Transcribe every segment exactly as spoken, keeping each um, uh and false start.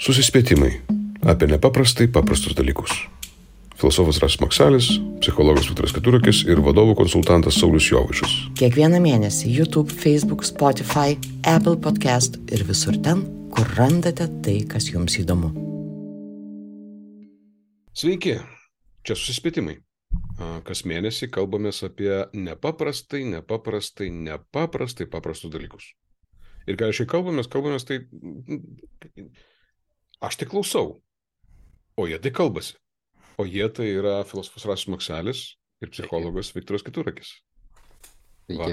Susispėtimai apie nepaprastai paprastus dalykus. Filosofas Rasas Maksalis, psichologas Viktoras Keturakis ir vadovų konsultantas Saulius Jovaišas. Kiekvieną mėnesį YouTube, Facebook, Spotify, Apple Podcast ir visur ten, kur randate tai, kas jums įdomu. Sveiki, čia Susispėtimai. Kas mėnesį kalbamės apie nepaprastai, nepaprastai, nepaprastai paprastus dalykus. Ir kai šiai kalbamės, kalbamės tai... Aš tik klausau, o jie tai kalbasi. O jie tai yra filosofas Rasas Maksalis ir psichologas Viktoras Keturakis. Va,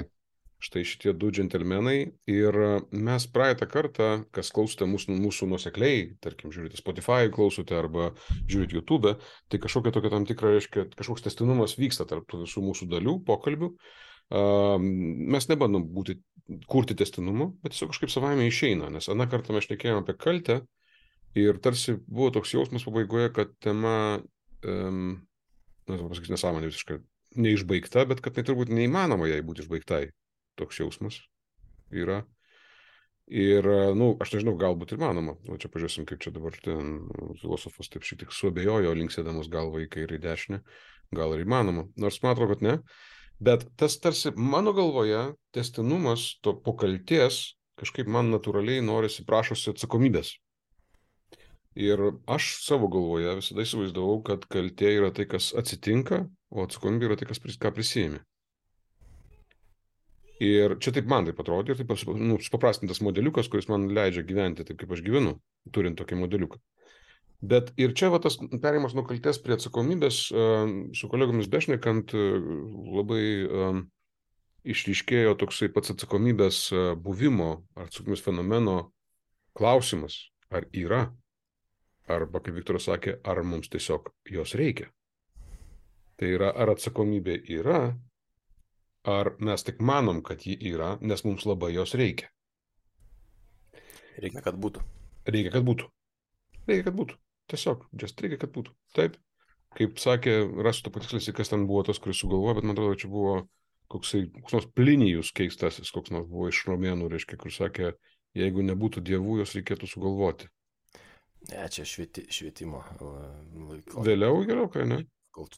štai šitie du džentelmenai. Ir mes praeitą kartą, kas klausote mūsų, mūsų nuosekliai, tarkim, žiūrite Spotify, klausote arba žiūrite YouTube, tai kažkokia tokia tam tikra, reiškia, kažkoks tęstinumas vyksta tarp visų mūsų dalių, pokalbių. Uh, mes nebandom būti, kurti tęstinumo, bet tiesiog kažkaip savaime išeina, nes aną kartą mes šnekėjome apie kaltę. Ir tarsi buvo toks jausmas pabaigoje, kad tema, um, na, pasakys nesąmonė visiškai, neišbaigta, bet kad tai turbūt neįmanoma jai būti išbaigtai. Toks jausmas yra. Ir, nu, aš nežinau, galbūt ir manoma. O čia pažiūrėsim, kaip čia dabar ten filosofas taip šiek tiek suabejojo, linksėdamas galvą į kairę į dešinę. Gal ir įmanoma. Nors man atrodo, kad ne. Bet tas tarsi mano galvoje tęstinumas to po kaltės kažkaip man natūraliai norisi, prašosi atsakomybės. Ir aš savo galvoje visada įsivaizdavau, kad kaltė yra tai, kas atsitinka, o atsakomybė yra tai, kas ką prisiėmė. Ir čia taip man taip atrodė, ir taip nu, paprastintas modeliukas, kuris man leidžia gyventi taip, kaip aš gyvenu, turint tokį modeliuką. Bet ir čia va, tas perėjimas nuo kaltės prie atsakomybės, su kolegomis bešnekant, labai um, išryškėjo toksai pats atsakomybės buvimo, ar atsakomybės fenomeno klausimas, ar yra. Arba, kaip Viktoras sakė, ar mums tiesiog jos reikia. Tai yra, ar atsakomybė yra, ar mes tik manom, kad ji yra, nes mums labai jos reikia. Reikia, kad būtų. Reikia, kad būtų. Reikia, kad būtų. Tiesiog, just reikia, kad būtų. Taip. Kaip sakė, rasiu to patikslinsi, kas ten buvo tas, kuris sugalvojo, bet man atrodo, čia buvo koksai, koks nors Plinijus keistasis, koks nors buvo iš romėnų, reiškia, kur sakė, jeigu nebūtų dievų, jos reikėtų sugalvoti. Ne, čia švieti, švietimo laiko. Vėliau geriau, kai ne?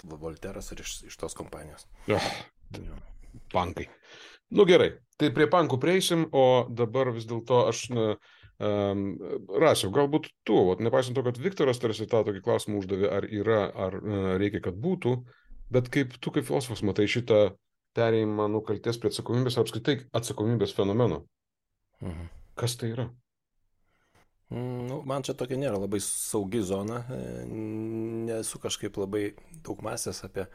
Volteras ir iš, iš tos kompanijos. Ja, pankai. Nu gerai, tai prie pankų prieisim, o dabar vis dėlto aš na, um, Rasiau, galbūt tu, vat, nepaisant to, kad Viktoras tarsi tą tokį klausimą uždavė, ar yra, ar uh, reikia, kad būtų, bet kaip tu kaip filosofas matai šitą perėjimą nuo kaltės prie atsakomybės, ar apskritai atsakomybės fenomeno. Mhm. Kas tai yra? Nu, man čia tokia nėra labai saugi zona, nesu kažkaip labai daug mąstęs apie,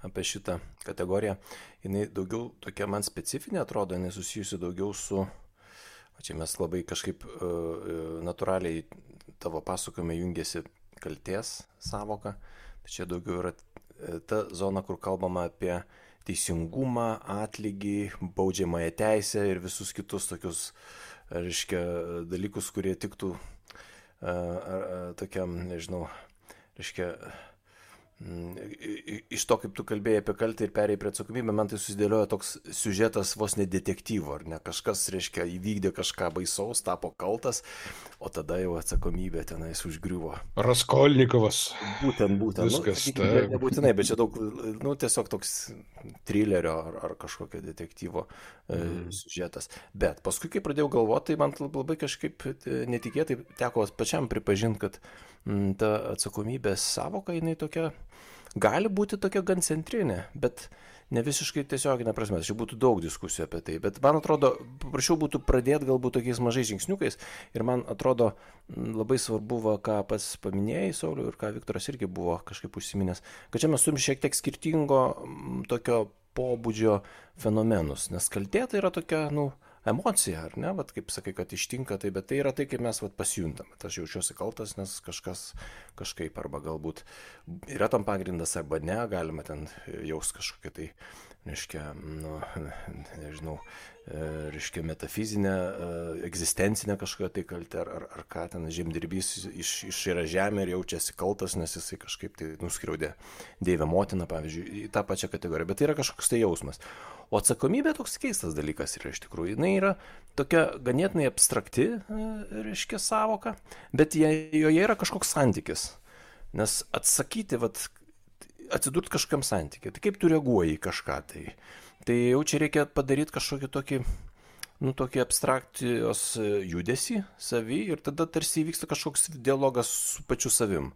apie šitą kategoriją. Jis daugiau tokia man specifinė atrodo, jinai susijusi daugiau su, o čia mes labai kažkaip uh, natūraliai tavo pasakojime jungiasi kaltės savoka, tai čia daugiau yra ta zona, kur kalbama apie teisingumą, atlygį, baudžiamąją teisę ir visus kitus tokius reiškia, dalykus, kurie tiktų a, a, tokiam, nežinau, reiškia, m, iš to, kaip tu kalbėjai apie kaltę ir perėjai prie atsakomybę, man tai susidėliojo toks siužetas vos ne detektyvo, ar ne, kažkas, reiškia, įvykdė kažką baisaus, tapo kaltas, o tada jau atsakomybė tenais užgriuvo. Raskolnikovas. Būtent, būtent. Viskas, nu, ne, nebūtinai, bet čia daug, nu, tiesiog toks trilerio ar, ar kažkokio detektyvo mm. e, siužetas. Bet paskui, kai pradėjau galvoti, tai man labai kažkaip netikėtai teko pačiam pripažinti, kad m, ta atsakomybės savoka, jinai tokia, gali būti tokia gan centrinė, bet ne visiškai tiesioginė prasme. Čia būtų daug diskusijų apie tai, bet man atrodo, prašiau būtų pradėti galbūt tokiais mažais žingsniukais ir man atrodo labai svarbu, va, ką pats paminėjai, Sauliau, ir ką Viktoras irgi buvo kažkaip užsiminęs, kad čia mes turim šiek tiek skirtingo tokio pobūdžio fenomenus, nes kaltė tai yra tokia, nu, emocija, ar ne, vat, kaip sakai, kad ištinka tai, bet tai yra tai, kaip mes vat, pasijuntam. Aš jaučiuosi kaltas, nes kažkas kažkaip, arba galbūt yra tam pagrindas, arba ne, galima ten jaus kažkokią tai reiškia, nu, nežinau, reiškia metafizinę, egzistencinę kažkokią tai kaltę, ar, ar, ar ką ten žemdirbys iš, iš yra žemė ir jaučiasi kaltas, nes jisai kažkaip tai nuskriaudė Deivę motiną, pavyzdžiui, į tą pačią kategoriją, bet tai yra kažkoks tai jausmas. O atsakomybė toks keistas dalykas yra iš tikrųjų. Jis yra tokia ganėtinai abstrakti, reiškia, savoka, bet joje yra kažkoks santykis. Nes atsakyti, vat, atsidurti kažkam santykiai, tai kaip tu reaguoji į kažką, tai, tai jau čia reikia padaryti kažkokį tokį, nu, tokį abstrakcijos judesį savį ir tada tarsi įvyksta kažkoks dialogas su pačiu savim.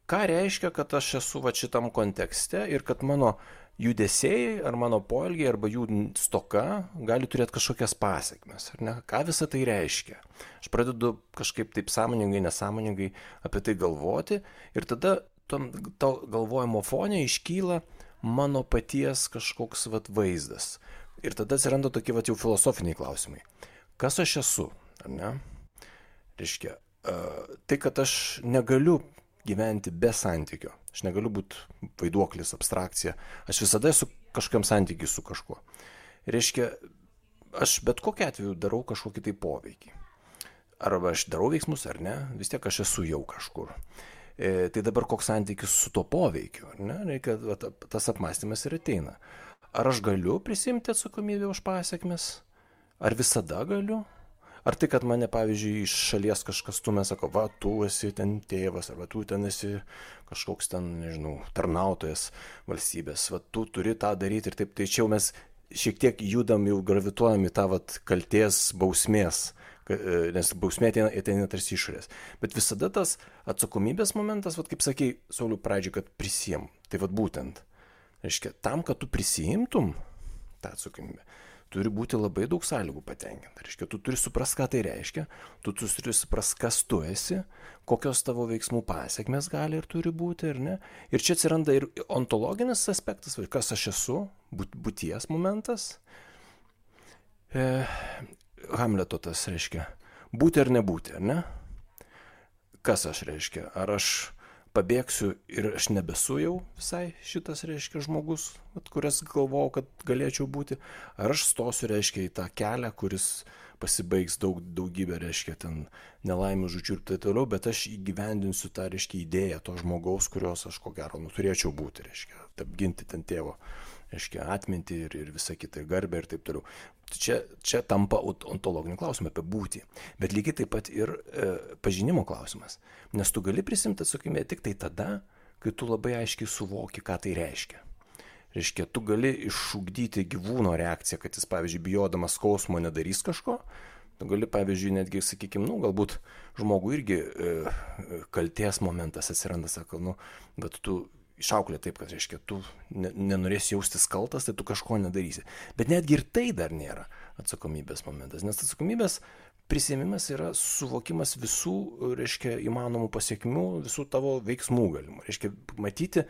Ką reiškia, kad aš esu va šitam kontekste ir kad mano judesiai ar mano poelgiai arba jų stoka gali turėti kažkokias pasekmes, ar ne? Ką visą tai reiškia? Aš pradedu kažkaip taip sąmoningai, nesąmoningai apie tai galvoti ir tada tom, to galvojimo fone iškyla mano paties kažkoks vat, vaizdas. Ir tada atsiranda tokie vat, jau filosofiniai klausimai. Kas aš esu, ar ne? Reiškia, uh, tai, kad aš negaliu gyventi be santykio. Aš negaliu būti vaiduoklis, abstrakcija. Aš visada esu kažkam santykiui su kažkuo. Reiškia, aš bet kokiu atveju darau kažkokį tai poveikį. Arba aš darau veiksmus ar ne, vis tiek aš esu jau kažkur. E, tai dabar koks santykis su to poveikiu, ar ne? Reikia, tas apmąstymas ir ateina. Ar aš galiu prisimti atsakomybę už pasiekmes? Ar visada galiu? Ar tai, kad mane, pavyzdžiui, iš šalies kažkas stumia, sako, va, tu esi ten tėvas, arba tu ten esi kažkoks ten, nežinau, tarnautojas valstybės, va, tu turi tą daryti ir taip, tai čia jau mes šiek tiek judam, jau gravituojam į tą, va, kaltės bausmės, nes bausmė ateina, ateina tarsi išorės. Bet visada tas atsakomybės momentas, va, kaip sakei, Sauliau, pradžiai, kad prisijim. Tai va, būtent, reiškia, tam, kad tu prisijimtum tą atsakomybę, turi būti labai daug sąlygų patenkinta. Reiškia, tu turi suprast, ką tai reiškia, tu turi suprast, kas tu esi, kokios tavo veiksmų pasiekmes gali ir turi būti, ar ne. Ir čia atsiranda ir ontologinis aspektas, kas aš esu, būties momentas. E, Hamleto tas reiškia, būti ar nebūti, ar ne. Kas aš reiškia, ar aš pabėgsiu ir aš nebesu jau visai šitas, reiškia, žmogus, kurias galvojau, kad galėčiau būti, ar aš stosiu, reiškia, į tą kelią, kuris pasibaigs daug, daugybę, reiškia, ten nelaimių žūčių ir taip toliau, bet aš įgyvendinsiu tą, reiškia, idėją to žmogaus, kurios aš ko gero nu, turėčiau būti, reiškia, apginti ten tėvo, reiškia, atmintį ir, ir visą kitą, ir garbę ir taip toliau. Čia, čia tampa ontologiniu klausimu apie būtį, bet lygiai taip pat ir e, pažinimo klausimas, nes tu gali prisimti atsakomybę tik tai tada, kai tu labai aiškiai suvoki, ką tai reiškia. Reiškia, tu gali išugdyti gyvūno reakciją, kad jis, pavyzdžiui, bijodamas skausmo nedarys kažko, tu gali, pavyzdžiui, netgi, sakykime, nu, galbūt žmogui irgi e, kaltės momentas atsiranda, sako, nu, bet tu išauklė taip, kad, reiškia, tu nenorėsi jaustis kaltas, tai tu kažko nedarysi. Bet netgi ir tai dar nėra atsakomybės momentas, nes atsakomybės prisiėmimas yra suvokimas visų, reiškia, įmanomų pasiekmių, visų tavo veiksmų galimų. Reiškia, matyti,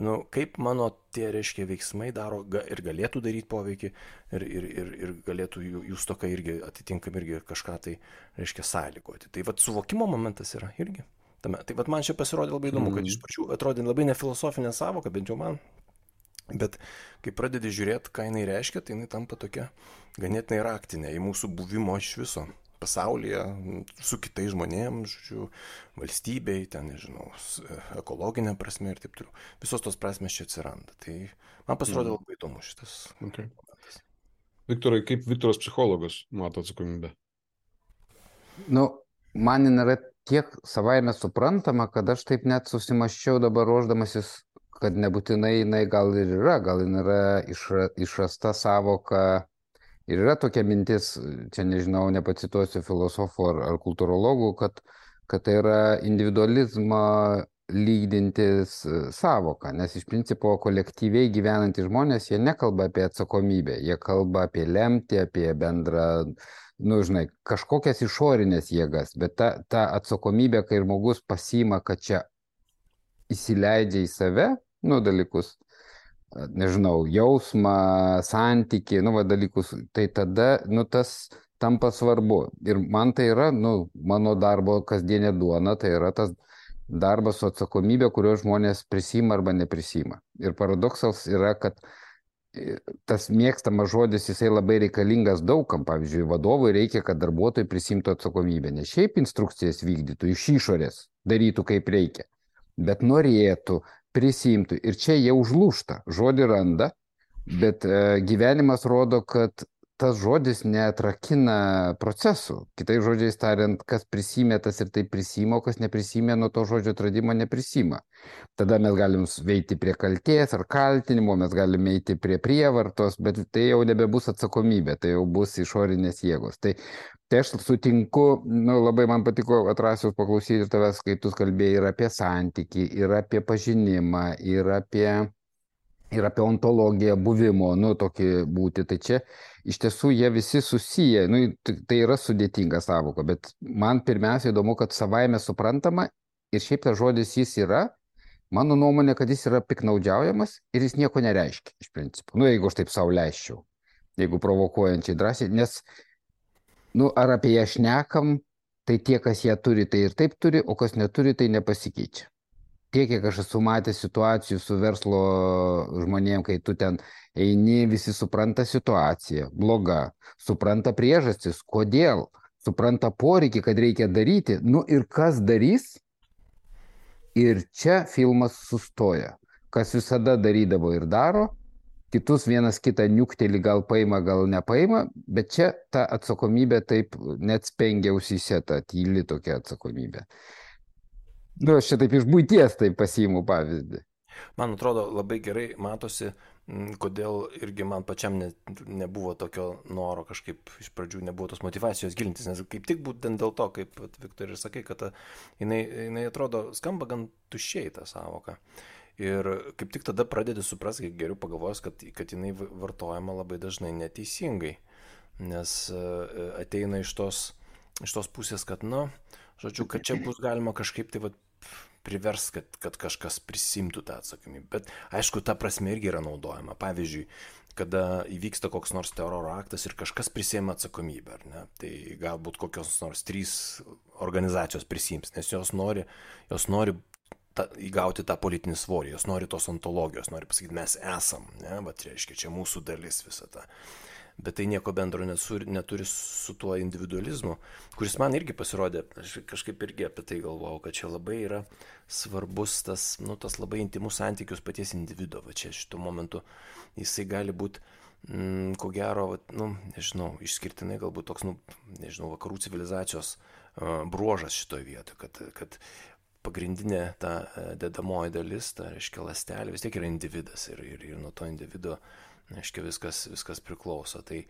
nu, kaip mano tie, reiškia, veiksmai daro ir galėtų daryti poveikį ir, ir, ir, ir galėtų jų, jų stoka irgi atitinkam irgi kažką tai, reiškia, sąlygoti. Tai vat suvokimo momentas yra irgi. Tame. Tai vat man čia pasirodė labai įdomu, kad iš pačių atrodė labai nefilosofinė savoka, bent jau man, bet kai pradedi žiūrėti, ką jinai reiškia, tai jinai tampa tokia ganėtinai raktinė į mūsų buvimo iš viso pasaulyje, su kitais žmonėms, žodžiu, valstybei, ten, nežinau, ekologinė prasme ir taip toliau. Visos tos prasmės čia atsiranda. Tai man pasirodė labai įdomu šitas. Okay. Viktorai, kaip Viktoras psichologas mato atsakomybę? Nu, man nėra tiek savaime suprantama, kad aš taip net susimaščiau dabar ruoždamasis, kad nebūtinai jinai gal ir yra, gal jinai yra išra, išrasta savoka ir yra tokia mintis, čia nežinau, nepacituosiu filosofų ar, ar kultūrologų, kad, kad tai yra individualizmą lydintis savoka, nes iš principo kolektyviai gyvenantys žmonės, jie nekalba apie atsakomybę, jie kalba apie lemtį, apie bendrą, nu, žinai, kažkokias išorinės jėgas, bet ta, ta atsakomybė, kai žmogus pasiima, kad čia įsileidžia į save, nu, dalykus, nežinau, jausmą, santykį, nu, va, dalykus, tai tada, nu, tas tampa svarbu. Ir man tai yra, nu, mano darbo kasdienė duona, tai yra tas darbas su atsakomybė, kurio žmonės prisima arba neprisima. Ir paradoksas yra, kad tas mėgstamas žodis, jisai labai reikalingas daugam. Pavyzdžiui, vadovui reikia, kad darbuotojai prisimtų atsakomybę. Ne šiaip instrukcijas vykdytų iš išorės, darytų kaip reikia, bet norėtų, prisimtų. Ir čia jie užlūšta, žodį randa, bet e, gyvenimas rodo, kad tas žodis neatrakina procesų. Kitai žodžiais tariant, kas prisimė, tas ir tai prisima, o kas neprisimė, nuo to žodžio atradimo neprisima. Tada mes galim veikti prie kaltės ar kaltinimo, mes galime eiti prie prievartos, bet tai jau nebebus atsakomybė, tai jau bus išorinės jėgos. Tai, tai aš sutinku, nu, labai man patiko Atrasiaus paklausyti tavęs, kai tu kalbėjai ir apie santykį, ir apie pažinimą, ir apie, ir apie ontologiją buvimo, nu, tokį būti. Tai čia iš tiesų jie visi susiję, nu, tai yra sudėtinga sąvoka, bet man pirmiausia įdomu, kad savaime suprantama ir šiaip tas žodis jis yra, mano nuomonė, kad jis yra piknaudžiaujamas ir jis nieko nereiškia iš principo. Nu, jeigu aš taip sau leisčiau, jeigu provokuojančiai drąsiai, nes, nu, ar apie ją šnekam, tai tie, kas ją turi, tai ir taip turi, o kas neturi, tai nepasikeičia. Tiek, kiek aš esu matęs situacijų su verslo žmonėm, kai tu ten eini, visi supranta situaciją, bloga, supranta priežastis, kodėl, supranta poreikį, kad reikia daryti, nu ir kas darys, ir čia filmas sustoja. Kas visada darydavo ir daro, kitus vienas kitą niuktelį gal paima, gal nepaima, bet čia ta atsakomybė taip net spengia ausyse, ta tyli tokia atsakomybė. Nu, aš čia taip iš buities taip pasiimu pavyzdį. Man atrodo, labai gerai matosi, kodėl irgi man pačiam ne, nebuvo tokio noro kažkaip iš pradžių, nebuvo tos motivacijos gilintis, nes kaip tik būtent dėl to, kaip Viktor ir sakai, kad ta, jinai, jinai atrodo skamba gan tuščiai tą sąvoką. Ir kaip tik tada pradedi suprasti, kai geriau pagalvojus, kad, kad jinai vartojama labai dažnai neteisingai, nes ateina iš tos, iš tos pusės, kad, nu, žodžiu, kad čia bus galima kažkaip tai vat, privers, kad, kad kažkas prisimtų tą atsakomybę. Bet aišku, ta prasme irgi yra naudojama. Pavyzdžiui, kada įvyksta koks nors teroro aktas ir kažkas prisėmė atsakomybę, ar ne? Tai galbūt kokios nors trys organizacijos prisims, nes jos nori, jos nori ta, įgauti tą politinį svorį, jos nori tos ontologijos, nori pasakyti, mes esam, ne? Bet reiškia, čia mūsų dalis visą tą. Bet tai nieko bendro neturi, neturi su tuo individualizmu, kuris man irgi pasirodė, aš kažkaip irgi apie tai galvojau, kad čia labai yra svarbus tas, nu, tas labai intimus santykius paties individo, va čia šituo momentu jisai gali būti, mm, ko gero, va, nu, nežinau, išskirtinai galbūt toks, nu, nežinau, vakarų civilizacijos uh, bruožas šitoje vietoje, kad, kad pagrindinė ta dedamoji dalis, ta, reiškia, ląstelė, vis tiek yra individas ir, ir, ir nuo to individo aiškiai, viskas, viskas priklauso. Tai,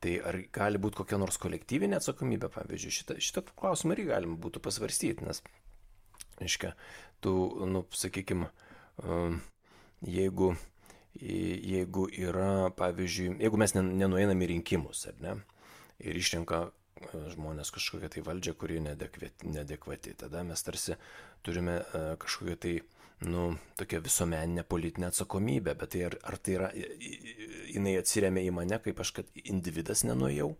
tai ar gali būti kokia nors kolektyvinė atsakomybė, pavyzdžiui, šitą, šitą klausimą irgi galima būtų pasvarstyti, nes, aiškiai, tu, nu, sakykime, jeigu, jeigu yra, pavyzdžiui, jeigu mes nenueinam į rinkimus, ar ne, ir išrenka žmonės kažkokią tai valdžią, kuri neadekvati, tada mes tarsi turime kažkokią tai, nu, tokia visuomeninė politinė atsakomybė, bet tai ar, ar tai yra, jinai atsiremia į mane, kaip aš, kad individas nenuėjau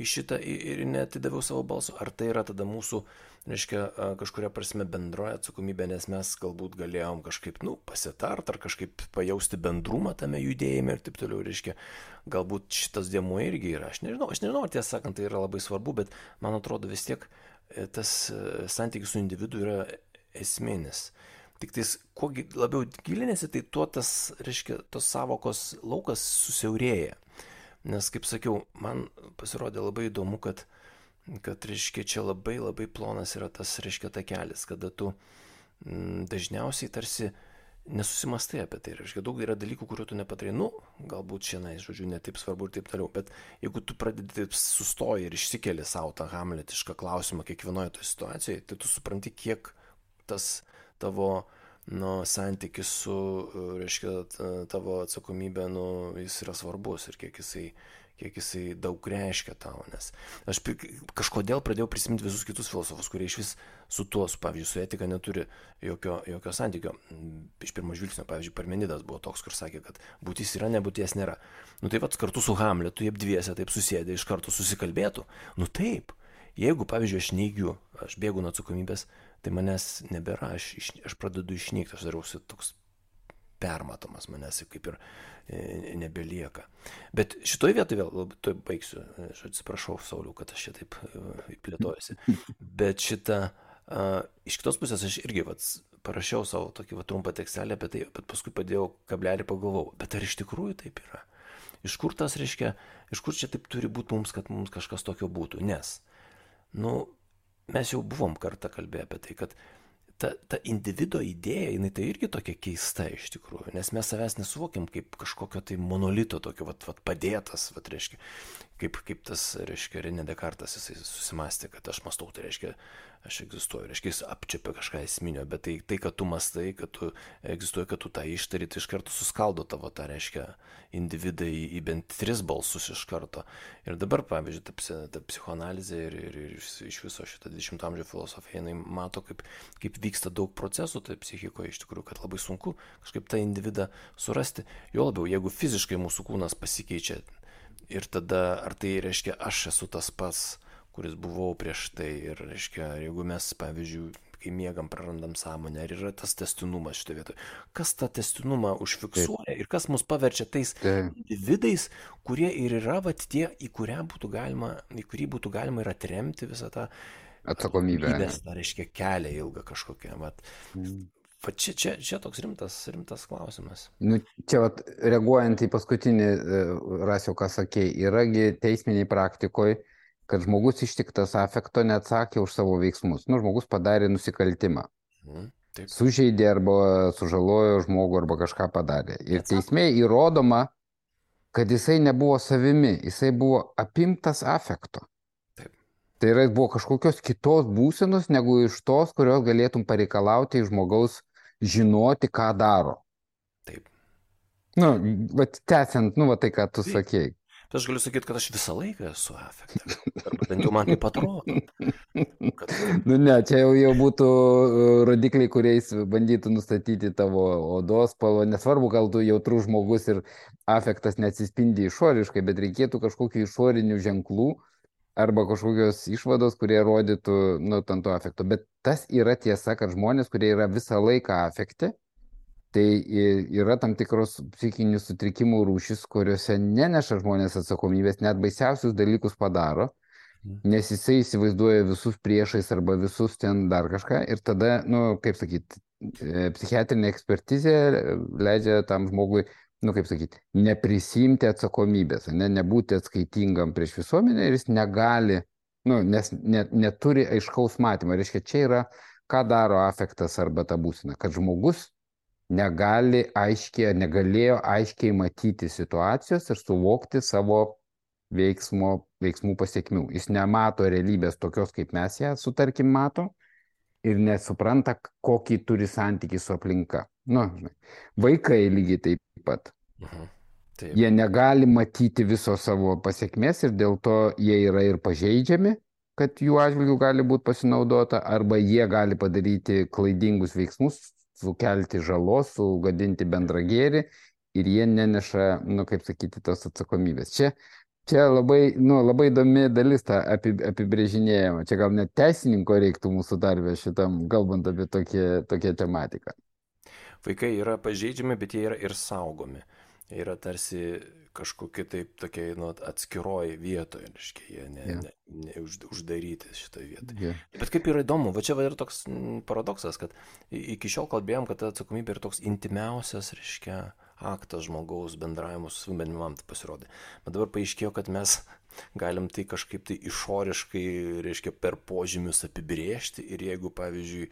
į šitą ir neatidaviau savo balso, ar tai yra tada mūsų, reiškia, kažkuria prasme bendroja atsakomybė, nes mes galbūt galėjom kažkaip, nu, pasitart, ar kažkaip pajausti bendrumą tame judėjime ir taip toliau, reiškia, galbūt šitas dėmuo irgi yra, aš nežinau, aš nežinau, ar tiesą sakant, tai yra labai svarbu, bet man atrodo vis tiek tas santykis su individu yra esminis. Tik tais, kuo labiau gilinėsi, tai tuo tas, reiškia, tos savokos laukas susiaurėja. Nes, kaip sakiau, man pasirodė labai įdomu, kad, kad reiškia, čia labai labai plonas yra tas, reiškia, takelis, kada tu m, dažniausiai tarsi nesusimastai apie tai. Reiškia, daug yra dalykų, kurių tu nepatarai. Nu, galbūt šiandien, žodžiu, ne taip svarbu ir taip toliau. Bet jeigu tu pradedi taip sustoji ir išsikeli savo tą hamletišką klausimą kiekvienoje toje situacijoje, tai tu supranti, kiek tas tavo, nu, santykis su, reiškia, tavo atsakomybė, nu, jis yra svarbus ir kiek jisai, kiek jisai daug reiškia tau, nes aš kažkodėl pradėjau prisiminti visus kitus filosofus, kurie iš vis su tuo, su, pavyzdžiui, su etika neturi jokio, jokio santykio. Iš pirmo žvilgsnio, pavyzdžiui, Parmenidas buvo toks, kur sakė, kad būtis yra, nebūties nėra. Nu tai vat kartu su Hamletu, jie dviese taip susėdė, iš karto susikalbėtų. Nu taip, jeigu, pavyzdžiui, aš neigiu, aš bėgu nuo atsakomybės, tai manęs nebėra, aš, aš pradedu išnykti, aš darausi toks permatomas, manęs kaip ir nebelieka. Bet šitoj vietoj vėl, tuoj baigsiu, aš atsiprašau, Sauliau, kad aš čia taip plėtojusi, bet šitą, uh, iš kitos pusės aš irgi vat, parašiau savo tokį vat, trumpą tekstelį apie tai, bet paskui padėjau kablelį, pagalvojau, bet ar iš tikrųjų taip yra? Iš kur tas reiškia, iš kur čia taip turi būti mums, kad mums kažkas tokio būtų, nes, nu, mes jau buvom kartą kalbėję apie tai, kad ta, ta individo idėja, jinai tai irgi tokia keista iš tikrųjų, nes mes savęs nesuvokiam kaip kažkokio tai monolito, tokio vat, vat padėtas, vat, reiškia, kaip, kaip tas, reiškia, René Descartes, jisai susimastė, kad aš mąstau, tai reiškia, aš egzistuoju, reiškia, jis apčiapia kažką esminio, bet tai, tai, kad tu mastai, kad tu egzistuoji, kad tu tą ištari, tai iš karto suskaldo tavo tą, reiškia, individą į, į bent tris balsus iš karto. Ir dabar, pavyzdžiui, ta, ta psichoanalizė ir, ir, ir iš viso šitą dvidešimto amžiaus filosofija, jinai mato, kaip, kaip vyksta daug procesų tai psichikoje iš tikrųjų, kad labai sunku kažkaip tą individą surasti. Jo labiau, jeigu fiziškai mūsų kūnas pasikeičia ir tada, ar tai reiškia, aš esu tas pats, kuris buvau prieš tai ir, reiškia, jeigu mes, pavyzdžiui, kai miegam, prarandam sąmonę, ar yra tas tęstinumas šitoje vietoje. Kas tą tęstinumą užfiksuoja ir kas mus paverčia tais individais, kurie ir yra vat, tie, į, būtų galima, į kurį būtų galima ir atremti visą tą atsakomybę. Tai reiškia kelią ilgą kažkokią. Vat. Mm. Va čia, čia, čia toks rimtas, rimtas klausimas. Nu, čia vat, reaguojant į paskutinį Rasiau, ką sakei, yragi teisminiai praktikoje, kad žmogus ištiktas afekto neatsakė už savo veiksmus. Nu, žmogus padarė nusikaltimą. Mhm, sužeidė arba sužalojo žmogų arba kažką padarė. Ir teisme įrodoma, kad jisai nebuvo savimi, jisai buvo apimtas afekto. Taip. Tai yra, buvo kažkokios kitos būsenos, negu iš tos, kurios galėtum pareikalauti iš žmogaus žinoti, ką daro. Taip. Nu, bet tęsiant, nu, va tai, ką tu Taip. sakei. Tai aš galiu sakyti, kad aš visą laiką esu afekte. Arba bent jau man taip atrodo. Kad... Nu ne, čia jau, jau būtų rodikliai, kuriais bandytų nustatyti tavo odos spalvą. Nesvarbu, gal tu jautrus žmogus ir afektas neatsispindi išoriškai, bet reikėtų kažkokių išorinių ženklų arba kažkokios išvados, kurie rodytų, nu, tanto afekto. Bet tas yra tiesa, kad žmonės, kurie yra visą laiką afekte, tai yra tam tikros psichinių sutrikimų rūšis, kuriuose neneša žmonės atsakomybės, net baisiausius dalykus padaro, nes jisai įsivaizduoja visus priešais arba visus ten dar kažką ir tada, nu, kaip sakyti, psichiatrinė ekspertizė leidžia tam žmogui, nu, kaip sakyti, neprisimti atsakomybės, ne, nebūti atskaitingam prieš visuomenę ir jis negali, nu, nes ne, neturi aiškaus matymo. Reiškia, čia yra, ką daro afektas arba ta būsena, kad žmogus negali aiškiai, negalėjo aiškiai matyti situacijos ir suvokti savo veiksmo, veiksmų pasiekmių. Jis nemato realybės tokios, kaip mes ją sutarkim mato ir nesupranta, kokį turi santykį su aplinka. Nu, žinai, vaikai lygiai taip pat. Mhm. Taip. Jie negali matyti viso savo pasiekmės ir dėl to jie yra ir pažeidžiami, kad jų atžvilgių gali būti pasinaudota, arba jie gali padaryti klaidingus veiksmus, sukelti žalos, sugadinti bendrą gėrį ir jie neneša, nu, kaip sakyti, tos atsakomybės. Čia, čia labai, nu, labai įdomi dalis tą apibrėžinėjimą. Čia gal net teisininko reiktų mūsų darbę šitam, kalbant apie tokią, tokią tematiką. Vaikai yra pažeidžiami, bet jie yra ir saugomi. Jie yra tarsi kažkokie taip tokie, nu, atskiroji vietoje, reiškia, jie ne, yeah. ne, ne už, uždaryti šitoje vietoje. Yeah. Bet kaip yra įdomu, va čia va yra toks paradoksas, kad iki šiol kalbėjom, kad ta atsakomybė yra toks intimiausias, reiškia, aktas žmogaus bendravimus su benimam, tai pasirodė. Bet dabar paaiškėjo, kad mes galim tai kažkaip tai išoriškai, reiškia, per požymius apibrėžti ir jeigu, pavyzdžiui,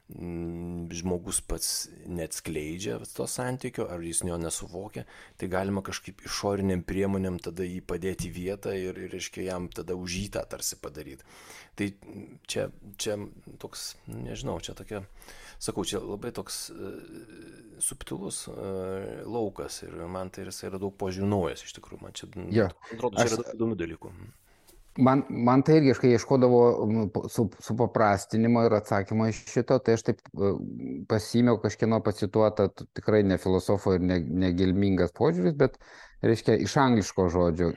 žmogus pats neatskleidžia to santykio, ar jis jo nesuvokia, tai galima kažkaip išoriniam priemonėm tada jį padėti vietą ir, ir reiškia, jam tada už jį tą tarsi padaryti. Tai čia, čia toks, nežinau, čia tokia, sakau, čia labai toks uh, subtilus uh, laukas ir man tai yra daug požiūrių naujas iš tikrųjų. Man čia, ja. atrodo, čia yra daug įdomių dalykų. Man, man tai irgi, kai ieškodavo su, supaprastinimo ir atsakymo iš šito, tai aš taip pasiėmiau kažkieno pacituotą, tikrai ne filosofo ir ne, negilmingas požiūris, bet, reiškia, iš angliško žodžio,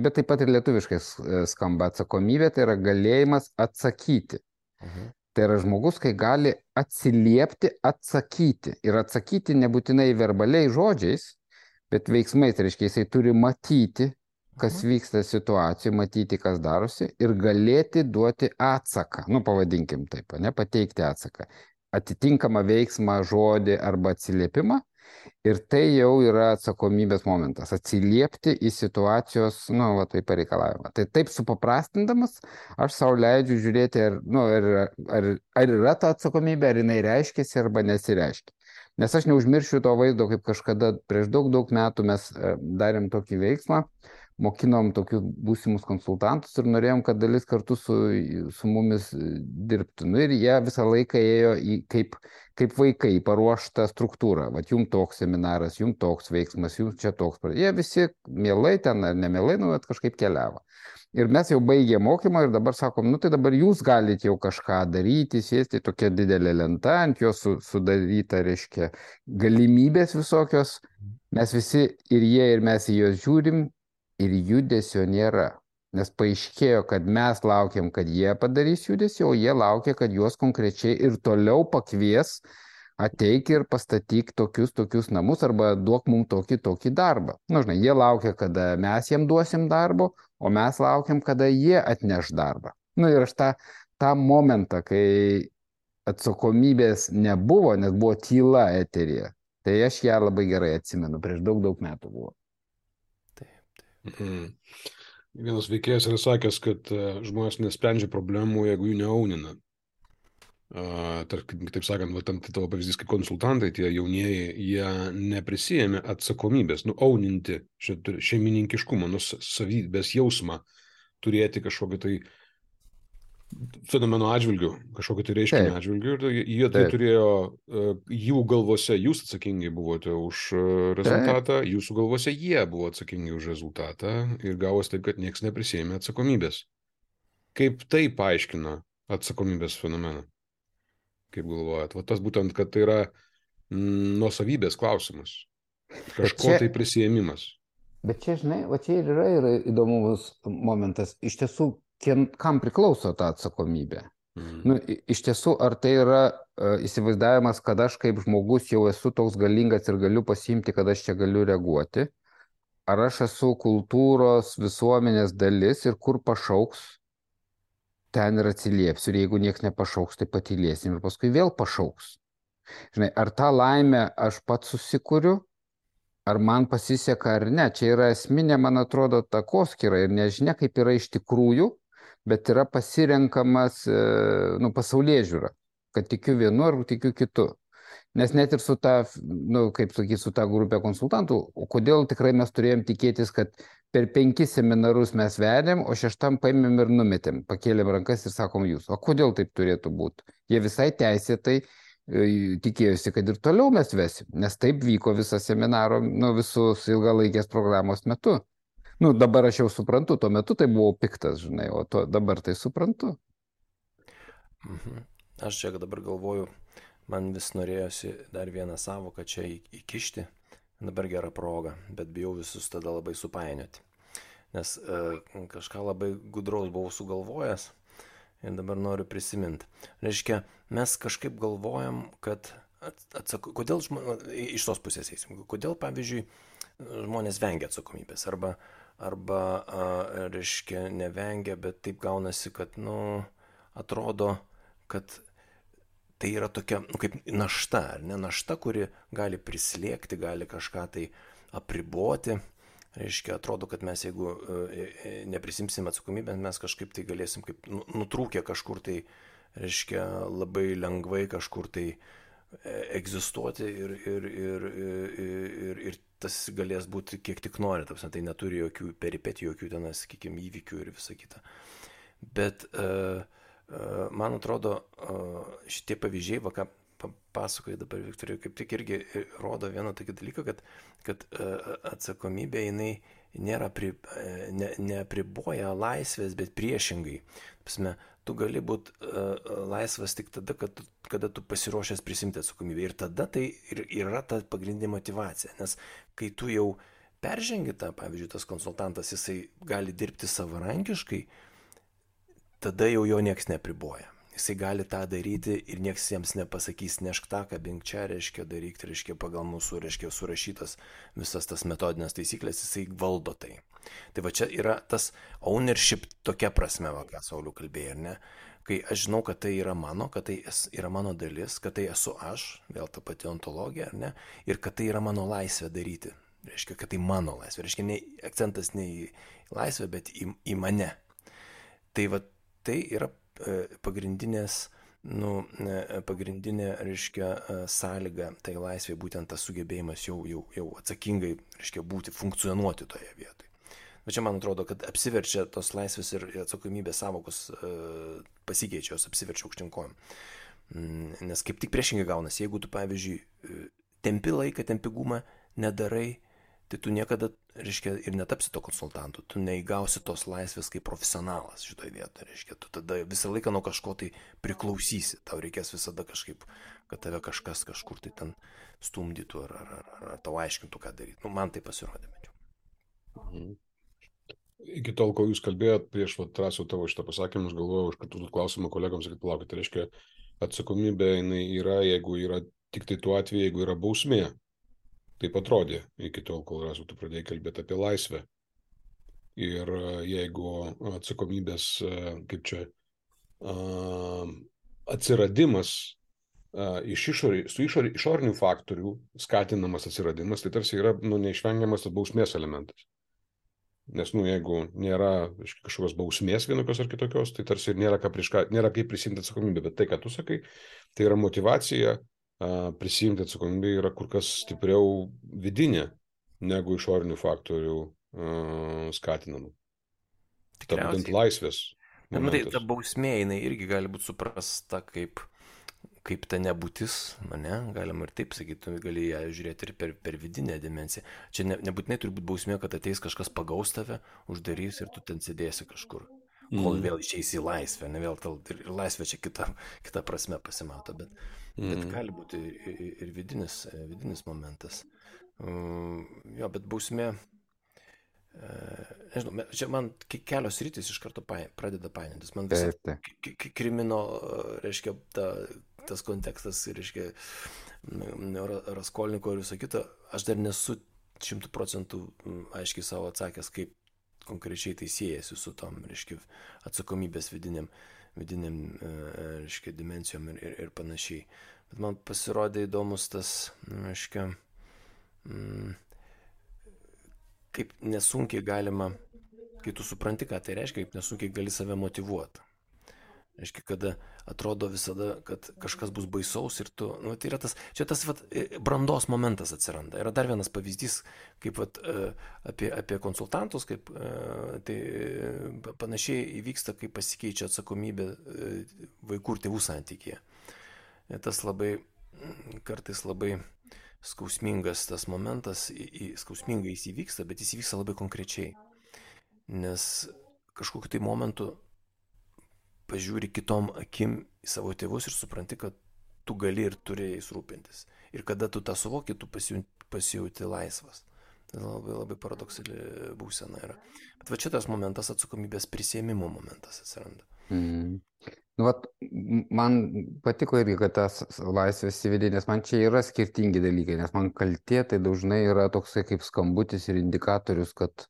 bet taip pat ir lietuviškai skamba atsakomybė, tai yra galėjimas atsakyti. Mhm. Tai yra žmogus, kai gali atsiliepti, atsakyti. Ir atsakyti nebūtinai verbaliai žodžiais, bet veiksmais. Tai reiškia, jisai turi matyti, kas vyksta situacijoje, matyti, kas darosi ir galėti duoti atsaką. Nu, pavadinkim taip, ne, pateikti atsaką. Atitinkamą veiksmą, žodį arba atsiliepimą. Ir tai jau yra atsakomybės momentas. Atsiliepti į situacijos, nu, va, tai pareikalavimą. Tai taip supaprastindamas, aš savo leidžiu žiūrėti, ar, nu, ar, ar, ar yra ta atsakomybė, ar jinai reiškiasi, arba nesireiškia. Nes aš neužmiršiu to vaizdo, kaip kažkada prieš daug, daug metų mes darėm tokį veiksmą, mokinom tokius būsimus konsultantus ir norėjom, kad dalis kartu su, su mumis dirbtų. Nu, ir jie visą laiką ėjo į, kaip, kaip vaikai, paruoštą struktūrą. Vat jums toks seminaras, jums toks veiksmas, jums čia toks. Jie visi mielai ten ar nemielai, nu, bet kažkaip keliavo. Ir mes jau baigė mokymą ir dabar sakom, nu tai dabar jūs galite jau kažką daryti, sėsti tokia didelė lenta, ant jos su, sudaryta, reiškia, galimybės visokios. Mes visi ir jie, ir mes į juos žiūrim. Ir judesio nėra, nes paaiškėjo, kad mes laukiam, kad jie padarys judesį, o jie laukia, kad juos konkrečiai ir toliau pakvies, ateik ir pastatyk tokius, tokius namus arba duok mums tokį, tokį darbą. Nu, žinai, jie laukia, kada mes jiem duosim darbo, o mes laukiam, kada jie atneš darbą. Nu, ir aš tą, tą momentą, kai atsakomybės nebuvo, nes buvo tyla eteryje, tai aš ją labai gerai atsimenu, prieš daug, daug metų buvo. Mhm. Vienas veikėjas yra sakęs, kad uh, žmonės nesprendžia problemų, jeigu jų neaunina. Uh, tarp, taip sakant, va, tam tavo pavyzdys kaip konsultantai, tie jaunieji, jie neprisijėmė atsakomybės, nu, auninti šeimininkiškumą, nu, savybės jausmą, turėti kažkokį tai fenomeno atžvilgių, kažkokį tai reiškinį atžvilgių, ir jie tai turėjo, jų galvose jūs atsakingi buvote už rezultatą, Taip. Jūsų galvose jie buvo atsakingi už rezultatą ir gavosi taip, kad niekas neprisėmė atsakomybės. Kaip tai paaiškina atsakomybės fenomeną? Kaip galvojat? Va tas būtent, kad tai yra mm, nuosavybės klausimas. Kažko čia, tai prisėmimas. Bet čia, žinai, va čia ir yra, yra įdomus momentas. Iš tiesų, kam priklauso ta atsakomybė. Mm. Nu, iš tiesų, ar tai yra uh, įsivaizdavimas, kad aš kaip žmogus jau esu toks galingas ir galiu pasiimti, kad aš čia galiu reaguoti, ar aš esu kultūros, visuomenės dalis ir kur pašauks, ten ir atsiliepsiu, ir jeigu nieks nepašauks, tai patylėsim ir paskui vėl pašauks. Žinai, ar tą laimę aš pats susikuriu, ar man pasiseka ar ne, čia yra esminė, man atrodo, takoskyra ir nežinia, kaip yra iš tikrųjų, bet yra pasirenkamas nu, pasaulyje žiūra, kad tikiu vienu ar tikiu kitu. Nes net ir su ta, nu, kaip sakyti, su ta grupė konsultantų, o kodėl tikrai mes turėjom tikėtis, kad per penkis seminarus mes vedėm, o šeštam paėmėm ir numetėm, pakėlėm rankas ir sakom jūs. O kodėl taip turėtų būti? Jie visai teisėtai tikėjosi, kad ir toliau mes vesim, nes taip vyko visą seminaro, nu, visus ilgalaikės programos metu. Nu, dabar aš jau suprantu, tuo metu tai buvau piktas, žinai, o to, dabar tai suprantu. Mhm. Aš čia dabar galvoju, man vis norėjosi dar vieną savoką čia įkišti, dabar gera proga, bet bijau visus tada labai supainioti. Nes e, kažką labai gudraus buvau sugalvojęs ir dabar noriu prisiminti. Reiškia, mes kažkaip galvojam, kad atsako, kodėl žmonės, iš tos pusės eisim, kodėl, pavyzdžiui, žmonės vengia atsakomybės, arba arba, a, reiškia, nevengia, bet taip gaunasi, kad, nu, atrodo, kad tai yra tokia, nu, kaip našta, ar ne, našta, kuri gali prislėgti, gali kažką tai apriboti, reiškia, atrodo, kad mes, jeigu e, neprisimsim atsakomybę, mes kažkaip tai galėsim, kaip nutrūkę kažkur tai, reiškia, labai lengvai kažkur tai egzistuoti ir, ir, ir, ir, ir, ir tas galės būti kiek tik nori, tapsime, tai neturi jokių peripetijų, jokių ten, sakykime, įvykių ir visa kita. Bet uh, uh, man atrodo, uh, šitie pavyzdžiai, va ką pasakoja dabar Viktorija, kaip tik irgi rodo vieną tokį dalyką, kad, kad uh, atsakomybė jinai nėra pri, ne, neapriboja laisvės, bet priešingai. Tapsime, tu gali būti uh, laisvas tik tada, kad tu, kada tu pasiruošęs prisimti atsakomybę. Ir tada tai ir yra ta pagrindinė motyvacija. Nes kai tu jau peržengi tą, pavyzdžiui, tas konsultantas, jisai gali dirbti savarankiškai, tada jau jo nieks nepriboja. jisai gali tą daryti ir nieks jiems nepasakys, nešk tą, kabink čia, reiškia, daryk, reiškia, pagal mūsų, reiškia, surašytas visas tas metodinės taisyklės, jisai valdo tai. Tai va čia yra tas ownership tokia prasme, va, ką Sauliau kalbėjai, ar ne? Kai aš žinau, kad tai yra mano, kad tai yra mano dalis, kad tai esu aš, vėl ta pati ontologija, ar ne? Ir kad tai yra mano laisvė daryti. Reiškia, kad tai mano laisvė. Reiškia, ne, akcentas ne į laisvę, bet į, į mane. Tai va, tai yra e, pagrindinės, nu, e, pagrindinė, reiškia, e, sąlyga tai laisvė, būtent tas sugebėjimas jau, jau, jau atsakingai, reiškia, būti, funkcionuoti toje vietoje. Bet čia man atrodo, kad apsiverčia tos laisvės ir atsakomybės sąvokos e, pasikeičia, jos apsiverčia aukštinkojom. Nes kaip tik priešingai gaunasi, jeigu tu, pavyzdžiui, tempi laiką, tempi gumą, nedarai, tai tu niekada, reiškia, ir netapsi to konsultantu, tu neįgausi tos laisvės kaip profesionalas šitoje vietoje, reiškia, tu tada visą laiką nuo kažko tai priklausysi, tau reikės visada kažkaip, kad tave kažkas kažkur tai ten stumdytų ar, ar, ar, ar tau aiškintų, ką daryti. Nu, man tai pasirodė, mečiau. Mhm. Iki tol, kol jūs kalbėjot, prieš Trasiau tavo šitą pasakymus, galvojau, už kitų klausimą kolegams, kad palaukit, tai reiškia, atsakomybė jinai yra, jeigu yra tik tai tuo atveju, jeigu yra bausmė. Taip atrodė, iki tol, kol Rasiau tu pradėjai kalbėti apie laisvę. Ir jeigu atsakomybės, kaip čia, atsiradimas iš išorį, su išorį, išorinių faktorių skatinamas atsiradimas, tai tarsi yra, nu, neišvengiamas tas bausmės elementas. Nes, nu, jeigu nėra kažkokios bausmės vienokios ar kitokios, tai tarsi ir nėra, ką prieš ką, nėra kaip prisimti atsakomybę. Bet tai, ką tu sakai, tai yra motyvacija a, prisimti atsakomybę yra kur kas stipriau vidinė negu išorinių faktorių a, skatinama. Ta būtent laisvės. Na, matai, ta bausmė, jinai irgi gali būti suprasta kaip kaip ta nebūtis, ne, galima ir taip sakyti, gali ją žiūrėti ir per, per vidinę dimensiją. Čia ne, nebūtinai turi būti bausmė, kad ateis kažkas pagaus tave, uždarys ir tu ten sėdėsi kažkur, kol mm. vėl išeisi į laisvę, ne vėl tal, ir, ir laisvė čia kita, kita prasme pasimato, bet, mm. bet gali būti ir, ir vidinis, vidinis momentas. Um, jo, bet bausmė, uh, nežinau, čia man kelios rytis iš karto paė, pradeda painėtis. Man visą krimino, reiškia, ta tas kontekstas, reiškia, Raskolniko ir viso kito, aš dar nesu šimtų procentų aiškiai savo atsakęs, kaip konkrečiai tai siejasi su tom, reiškia, atsakomybės vidiniam, vidiniam, reiškia, dimensijom ir, ir, ir panašiai. Bet man pasirodė įdomus tas, reiškia, kaip nesunkiai galima, kai tu supranti, ką tai reiškia, kaip nesunkiai gali save motyvuoti. Reiškia, kada atrodo visada, kad kažkas bus baisaus ir tu, nu, tai yra tas, čia tas vat, brandos momentas atsiranda. Yra dar vienas pavyzdys, kaip vat, apie, apie konsultantus, kaip tai panašiai įvyksta, kai pasikeičia atsakomybė vaikų ir tėvų santykyje. Tas labai, kartais labai skausmingas tas momentas, skausmingai jis įvyksta, bet jis įvyksta labai konkrečiai. Nes kažkokiu tai momentu pažiūri kitom akim į savo tėvus ir supranti, kad tu gali ir turi jais rūpintis. Ir kada tu tą suvoki, tu pasijauti laisvas. Tai labai, labai paradoksali būsena yra. Bet va šitas momentas, atsakomybės prisiėmimo momentas atsiranda. Mm. Nu, vat, man patiko irgi, kad tas laisvės įvedė, nes man čia yra skirtingi dalykai, nes man kaltė tai dažnai yra toksai kaip skambutis ir indikatorius, kad,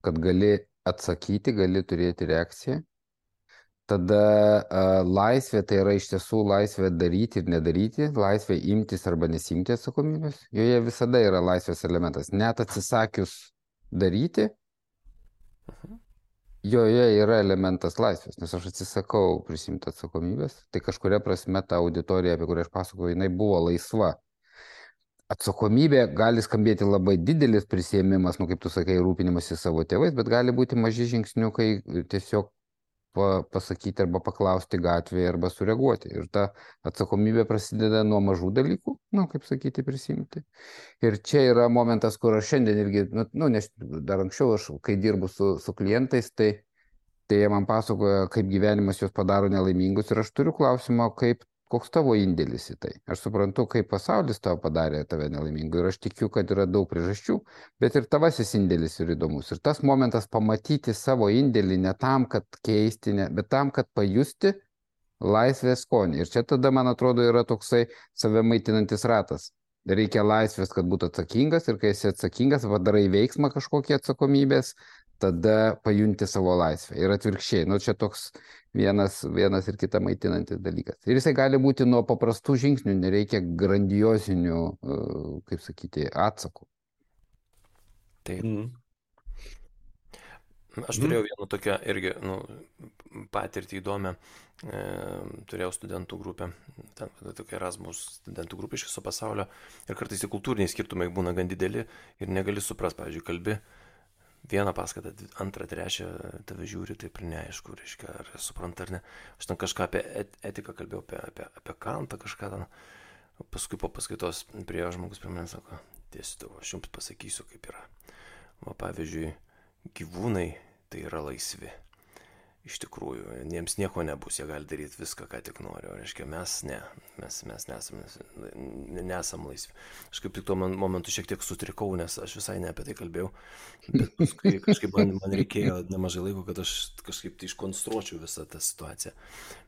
kad gali atsakyti, gali turėti reakciją. Tada uh, laisvė tai yra iš tiesų laisvė daryti ir nedaryti, laisvė imtis arba nesimti atsakomybės. Joje visada yra laisvės elementas. Net atsisakius daryti, joje yra elementas laisvės, nes aš atsisakau prisimti atsakomybės. Tai kažkuria prasme ta auditorija, apie kurią aš pasakoju, jinai buvo laisva. Atsakomybė gali skambėti labai didelis prisiėmimas, nu kaip tu sakai, rūpinimasis savo tėvais, bet gali būti maži žingsniukai tiesiog pasakyti arba paklausti gatvėje arba sureaguoti. Ir ta atsakomybė prasideda nuo mažų dalykų, nu, kaip sakyti, prisimti. Ir čia yra momentas, kur aš šiandien irgi, nu, nes dar anksčiau aš, kai dirbu su, su klientais, tai, tai jie man pasakoja, kaip gyvenimas juos padaro nelaimingus ir aš turiu klausimą, kaip, koks tavo indėlis į tai. Aš suprantu, kaip pasaulis tavo padarė tave nelaimingu ir aš tikiu, kad yra daug priežasčių, bet ir tavasis indėlis yra įdomus. Ir tas momentas pamatyti savo indėlį ne tam, kad keisti, ne, bet tam, kad pajusti, laisvės skonį. Ir čia tada, man atrodo, yra toksai save maitinantis ratas. Reikia laisvės, kad būtų atsakingas ir kai esi atsakingas, padarai veiksmą kažkokį atsakomybės, tada pajunti savo laisvę. Ir atvirkščiai, nu čia toks vienas, vienas ir kita maitinantis dalykas. Ir jisai gali būti nuo paprastų žingsnių, nereikia grandiosinių, kaip sakyti, atsakų. Taip. Mm. Aš turėjau vieną tokią irgi nu, patirtį įdomią, e, turėjau studentų grupę, ten tokia Erasmus studentų grupė iš viso pasaulio ir kartais tie kultūriniai skirtumai būna gan dideli ir negali suprast, pavyzdžiui, kalbi vieną paskaitą, antrą, trečią, tave žiūri, taip ir neaišku, reiškia, ar supranta ar ne. Aš ten kažką apie et, etiką kalbėjau, apie, apie, apie Kantą kažką ten, paskui po paskaitos priejo žmogus prie manęs sako, dėstytojau, aš jums pasakysiu, kaip yra. Va, pavyzdžiui, gyvūnai tai yra laisvi. Iš tikrųjų, jiems nieko nebus, jie gali daryti viską, ką tik nori. O reiškia, mes ne, mes, mes nesam, nesam laisvi. Aš kaip tik tuo momentu šiek tiek sutrikau, nes aš visai ne apie tai kalbėjau. Bet paskui kažkaip man, man reikėjo nemažai laiko, kad aš kažkaip tai iškonstruočiau visą tą situaciją.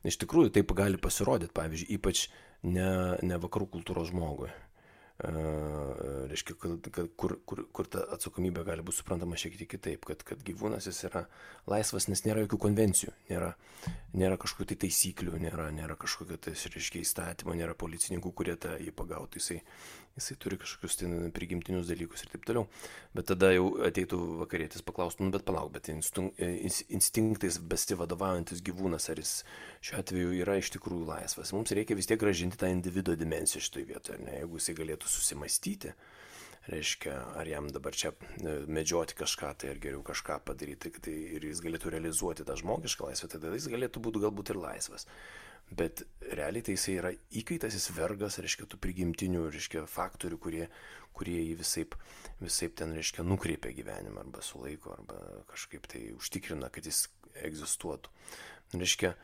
Iš tikrųjų, taip gali pasirodyti, pavyzdžiui, ypač ne, ne vakarų kultūros žmogui. Uh, reiškia, kad, kad, kur, kur, kur ta atsakomybė gali būti suprantama šiek tiek kitaip, kad, kad gyvūnas jis yra laisvas, nes nėra jokių konvencijų, nėra, nėra kažkokių tai taisyklių, nėra, nėra kažkokio tai, reiškia, įstatymo, nėra policininkų, kurie tą jį pagautų, jisai, jisai turi kažkokius tai prigimtinius dalykus ir taip toliau. Bet tada jau ateitų vakarietis paklaustų, nu bet palauk, bet instinktais besivadovaujantis gyvūnas, ar jis šiuo atveju yra iš tikrųjų laisvas. Mums reikia vis tiek grąžinti tą individuo dimensiją šitoje vietoje, ne? Jeigu jisai galėtų susimastyti, reiškia, ar jam dabar čia medžioti kažką, tai ar geriau kažką padaryti, tai ir jis galėtų realizuoti tą žmogišką laisvę, tada jis galėtų būti galbūt ir laisvas. Bet realiai tai jisai yra įkaitas, jis vergas, reiškia, tų prigimtinių, reiškia, faktorių, kurie, kurie jį visaip, visaip ten, reiškia, nukreipia gyvenimą arba sulaiko, arba kažkaip tai užtikrina, kad jis egzistuotų. Reiškia,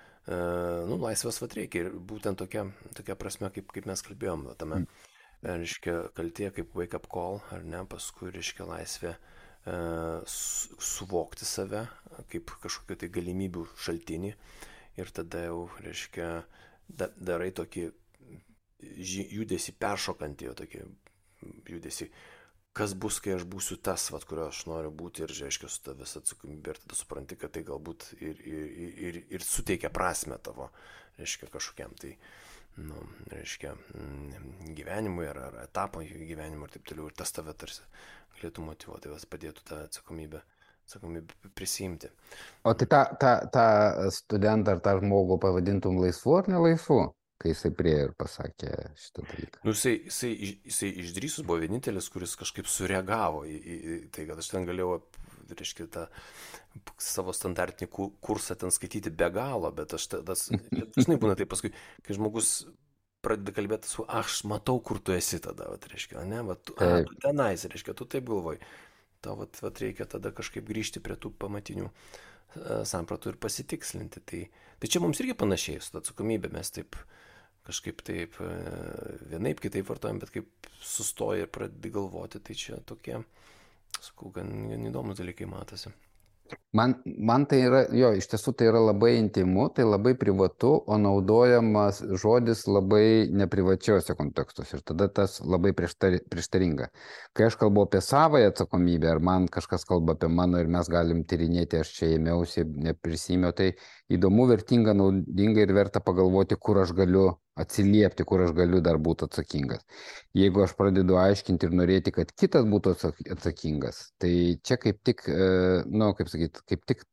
nu, laisvės vat reikia ir būtent tokia, tokia prasme, kaip, kaip mes kalbėjom, tame, reiškia, kaltė kaip wake up call, ar ne, paskui, reiškia, laisvė e, su, suvokti save kaip kažkokio tai galimybių šaltinį ir tada jau, reiškia, da, darai tokį judesį peršokantį, jau tokį judesį, kas bus, kai aš būsiu tas, vat, kurio aš noriu būti ir, reiškia, su tavęs atsakomybė ir tada supranti, kad tai galbūt ir, ir, ir, ir suteikia prasmę tavo, reiškia, kažkokiam tai, nu, reiškia, gyvenimui ar, ar etapo gyvenimui ir taip toliau. Ir tas tave tarsi galėtų motyvuoti, tas padėtų tą atsakomybę, atsakomybę prisimti. O tai tą, tą, tą studentą ar tą žmogų pavadintum laisvu ar nelaisvu, kai jisai prie ir pasakė šitą dalyką? Nu, jisai, jisai, jisai išdrįsus buvo vienintelis, kuris kažkaip sureagavo į, į, į tai, kad aš ten galėjau, reiškia, tą savo standartinį kursą ten skaityti be galo, bet aš tas, dažnai būna tai paskui, kai žmogus pradeda kalbėti su, aš matau, kur tu esi tada, vat, reiškia, ne, vat, tu, a, tu tenais, reiškia, tu taip galvoji, tau vat, vat reikia tada kažkaip grįžti prie tų pamatinių uh, sampratų ir pasitikslinti, tai, tai čia mums irgi panašiai su atsakomybė, mes taip kažkaip taip uh, vienaip kitaip vartojam, bet kaip sustoja ir pradedi galvoti, tai čia tokie, sakau, gan, gan įdomus dalykai matosi. Man, man tai yra, jo, iš tiesų tai yra labai intimu, tai labai privatu, o naudojamas žodis labai neprivačiuose kontekstuose ir tada tas labai prieštari, prieštaringa. Kai aš kalbu apie savąją atsakomybę, ar man kažkas kalba apie mano ir mes galim tyrinėti, aš čia ėmiausi, neprisimėjau, tai įdomu, vertinga, naudinga ir verta pagalvoti, kur aš galiu atsiliepti, kur aš galiu dar būti atsakingas. Jeigu aš pradedu aiškinti ir norėti, kad kitas būtų atsakingas, tai čia kaip tik, nu, kaip sakyti, kaip tik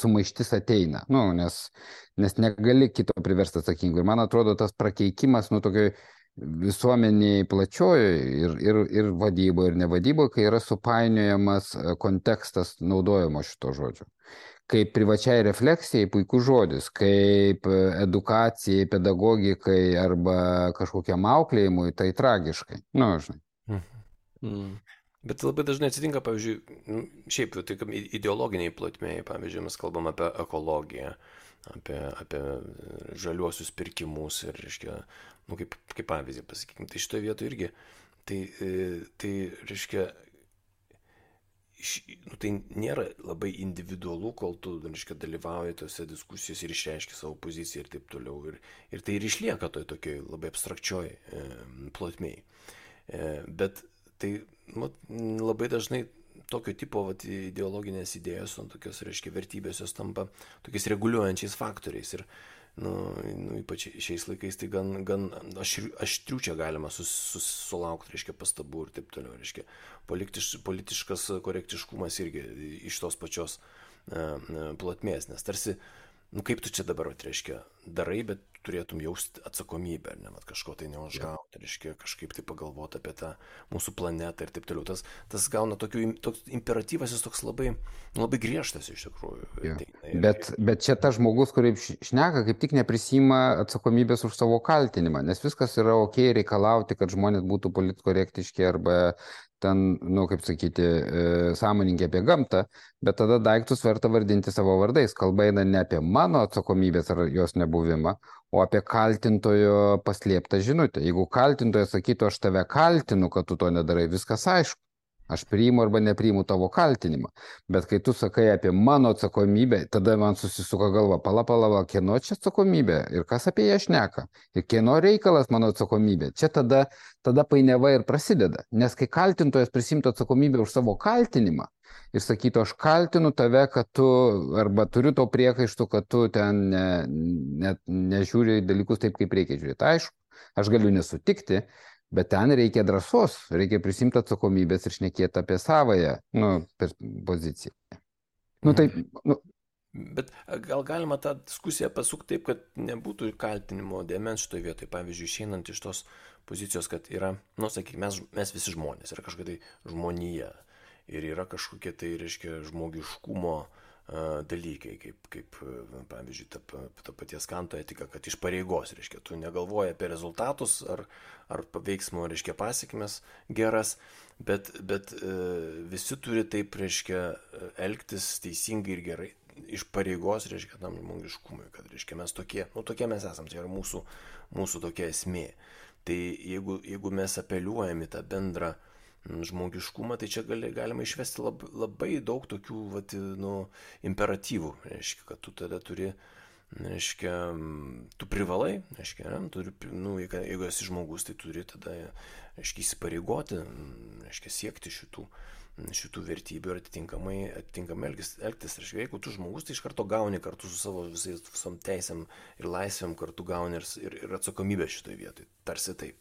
sumaištis ateina, nu, nes, nes negali kito priversti atsakingu. Ir man atrodo, tas prakeikimas, nu, tokioj visuomeniai plačioji ir, ir, ir vadyboje, ir nevadyboje, kai yra supainiojamas kontekstas naudojimo šito žodžio. Kaip privačiai refleksijai puikus žodis, kaip edukacijai, pedagogikai arba kažkokiam auklėjimui, tai tragiškai. Nu, žinai. Mhm. Mm. Bet labai dažnai atsitinka, pavyzdžiui, šiaip tai ideologiniai plotmėjai, pavyzdžiui, mes kalbam apie ekologiją, apie, apie žaliuosius pirkimus ir, reiškia, nu, kaip, kaip pavyzdį pasakykime, tai šitoje vietoje irgi, tai, tai reiškia, iš, nu, tai nėra labai individualu, kol tu, reiškia, dalyvauji tose diskusijose ir išreiški savo poziciją ir taip toliau. Ir, ir tai ir išlieka toj tokioj labai abstrakčioj e, plotmėj. E, bet tai nu, labai dažnai tokio tipo vat, ideologinės idėjos, tokios, reiškia, vertybės jos tampa tokiais reguliuojančiais faktoriais. Ir nu, nu, ypač šiais laikais tai gan, gan aštrių, aštrių čia galima sus, sus, sulaukti, reiškia, pastabų ir taip toliau, reiškia, politiš, politiškas korektiškumas irgi iš tos pačios uh, plotmės, nes tarsi, nu kaip tu čia dabar, reiškia, darai, bet turėtum jausti atsakomybę, ne, mat, kažko tai neužgauti, reiškia, kažkaip tai pagalvoti apie tą mūsų planetą ir taip toliau. Tas, tas gauna tokių, toks imperatyvas, jis toks labai, labai griežtas iš tikrųjų. Ja. Ir, bet, bet čia tas žmogus, kurį šneka, kaip tik neprisima atsakomybės už savo kaltinimą, nes viskas yra ok reikalauti, kad žmonės būtų politkorektiški arba ten, nu, kaip sakyti, e, sąmoningi apie gamtą, bet tada daiktus verta vardinti savo vardais. Kalba eina ne apie mano atsakomybės ar jos nebuvimą, o apie kaltintojo paslėptą žinutę. Jeigu kaltintojas sakytų, aš tave kaltinu, kad tu to nedarai, viskas aišku. Aš priimu arba nepriimu tavo kaltinimą. Bet kai tu sakai apie mano atsakomybę, tada man susisuka galva, pala, pala, pala, kieno čia atsakomybė ir kas apie ją šneka. Ir kieno reikalas mano atsakomybė. Čia tada, tada painiava ir prasideda. Nes kai kaltintojas prisimtų atsakomybę už savo kaltinimą ir sakytų, aš kaltinu tave, kad tu, arba turiu to priekaištų, kad tu ten ne, ne, nežiūri dalykus taip, kaip reikia žiūrėti. Aišku, aš galiu nesutikti, bet ten reikia drąsos, reikia prisimti atsakomybės ir šnekėti apie savąją, nu, poziciją. Nu, taip, nu. Bet gal galima tą diskusiją pasukti taip, kad nebūtų kaltinimo dėmens šitoje vietoje, pavyzdžiui, išeinant iš tos pozicijos, kad yra, nu, sakykime, mes, mes visi žmonės, yra kažkokia tai žmonija ir yra kažkokie tai, reiškia, žmogiškumo dalykai, kaip, kaip pavyzdžiui, ta, ta paties Kanto etika, kad iš pareigos, reiškia, tu negalvoji apie rezultatus ar, ar veiksmo, reiškia, pasiekmes geras, bet, bet visi turi taip, reiškia, elgtis teisingai ir gerai, iš pareigos, reiškia, tam žmogiškumui, kad, reiškia, mes tokie, nu, tokie mes esam, tai yra mūsų, mūsų tokia esmė. Tai jeigu, jeigu mes apeliuojam į tą bendrą žmogiškumą, tai čia gali, galima išvesti labai, labai daug tokių vat, nu, imperatyvų, reiškia, kad tu tada turi, reiškia, tu privalai, reiškia, ne, turi, nu, jeigu esi žmogus, tai turi tada, reiškia, įsipareigoti, reiškia, siekti šitų, šitų vertybių ir atitinkamai, atitinkamai elgtis, elgtis. Reiškia, jeigu tu žmogus, tai iš karto gauni kartu su savo visais, visom teisėm ir laisvėm, kartu gauni ir, ir, ir atsakomybę šitoje vietoje, tarsi taip.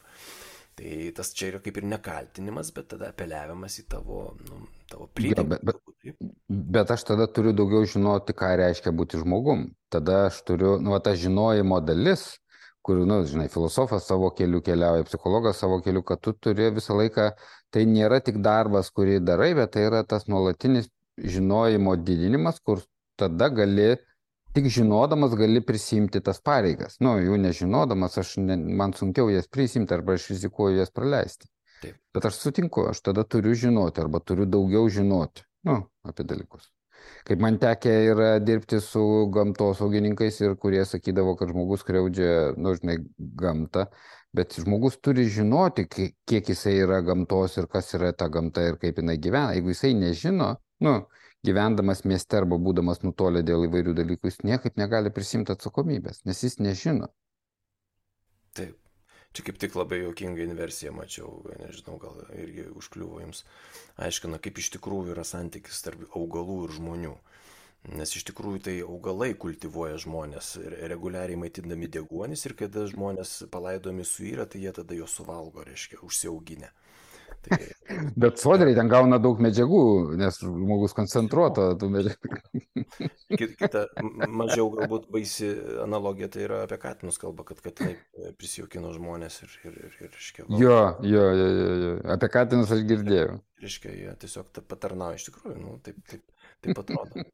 Tai tas čia yra kaip ir nekaltinimas, bet tada apeliavimas į tavo, nu, tavo plydimą. Ja, bet, bet, bet aš tada turiu daugiau žinoti, ką reiškia būti žmogum. Tada aš turiu, nu, ta žinojimo dalis, kur, nu, žinai, filosofas savo keliu keliauja, psichologas savo keliu, kad tu turi visą laiką, tai nėra tik darbas, kurį darai, bet tai yra tas nuolatinis žinojimo didinimas, kur tada gali, tik žinodamas gali prisimti tas pareigas. Nu, jų nežinodamas, aš ne, man sunkiau jas prisimti arba aš rizikuoju jas praleisti. Taip. Bet aš sutinku, aš tada turiu žinoti arba turiu daugiau žinoti, nu, apie dalykus. Kaip man tekė yra dirbti su gamtosaugininkais ir kurie sakydavo, kad žmogus skriaudžia, nu, žinai, gamtą, bet žmogus turi žinoti, kiek jisai yra gamtos ir kas yra ta gamta ir kaip jinai gyvena. Jeigu jisai nežino, nu, gyvendamas mieste arba būdamas nutolę dėl įvairių dalykų, jis niekaip negali prisimti atsakomybės, nes jis nežino. Taip. Čia kaip tik labai juokinga inversija mačiau, nežinau, gal irgi užkliuvo jums. Aiškina, kaip iš tikrųjų yra santykis tarp augalų ir žmonių. Nes iš tikrųjų tai augalai kultivuoja žmonės, reguliariai maitindami deguonis ir kada žmonės palaidomi suyra, tai jie tada juos suvalgo, reiškia, užsiauginę. Tai... Bet sodriai ten gauna daug medžiagų, nes žmogus koncentruoto tų medžiagų. Kita mažiau galbūt baisi analogija, tai yra apie katinus kalba, kad katinai prisijaukino žmonės ir... ir, ir, ir reiškia, jo, jo, jo, jo, jo, apie katinus aš girdėjau. Reiškia, jie tiesiog patarnauja iš tikrųjų, nu, taip, taip, taip atrodo.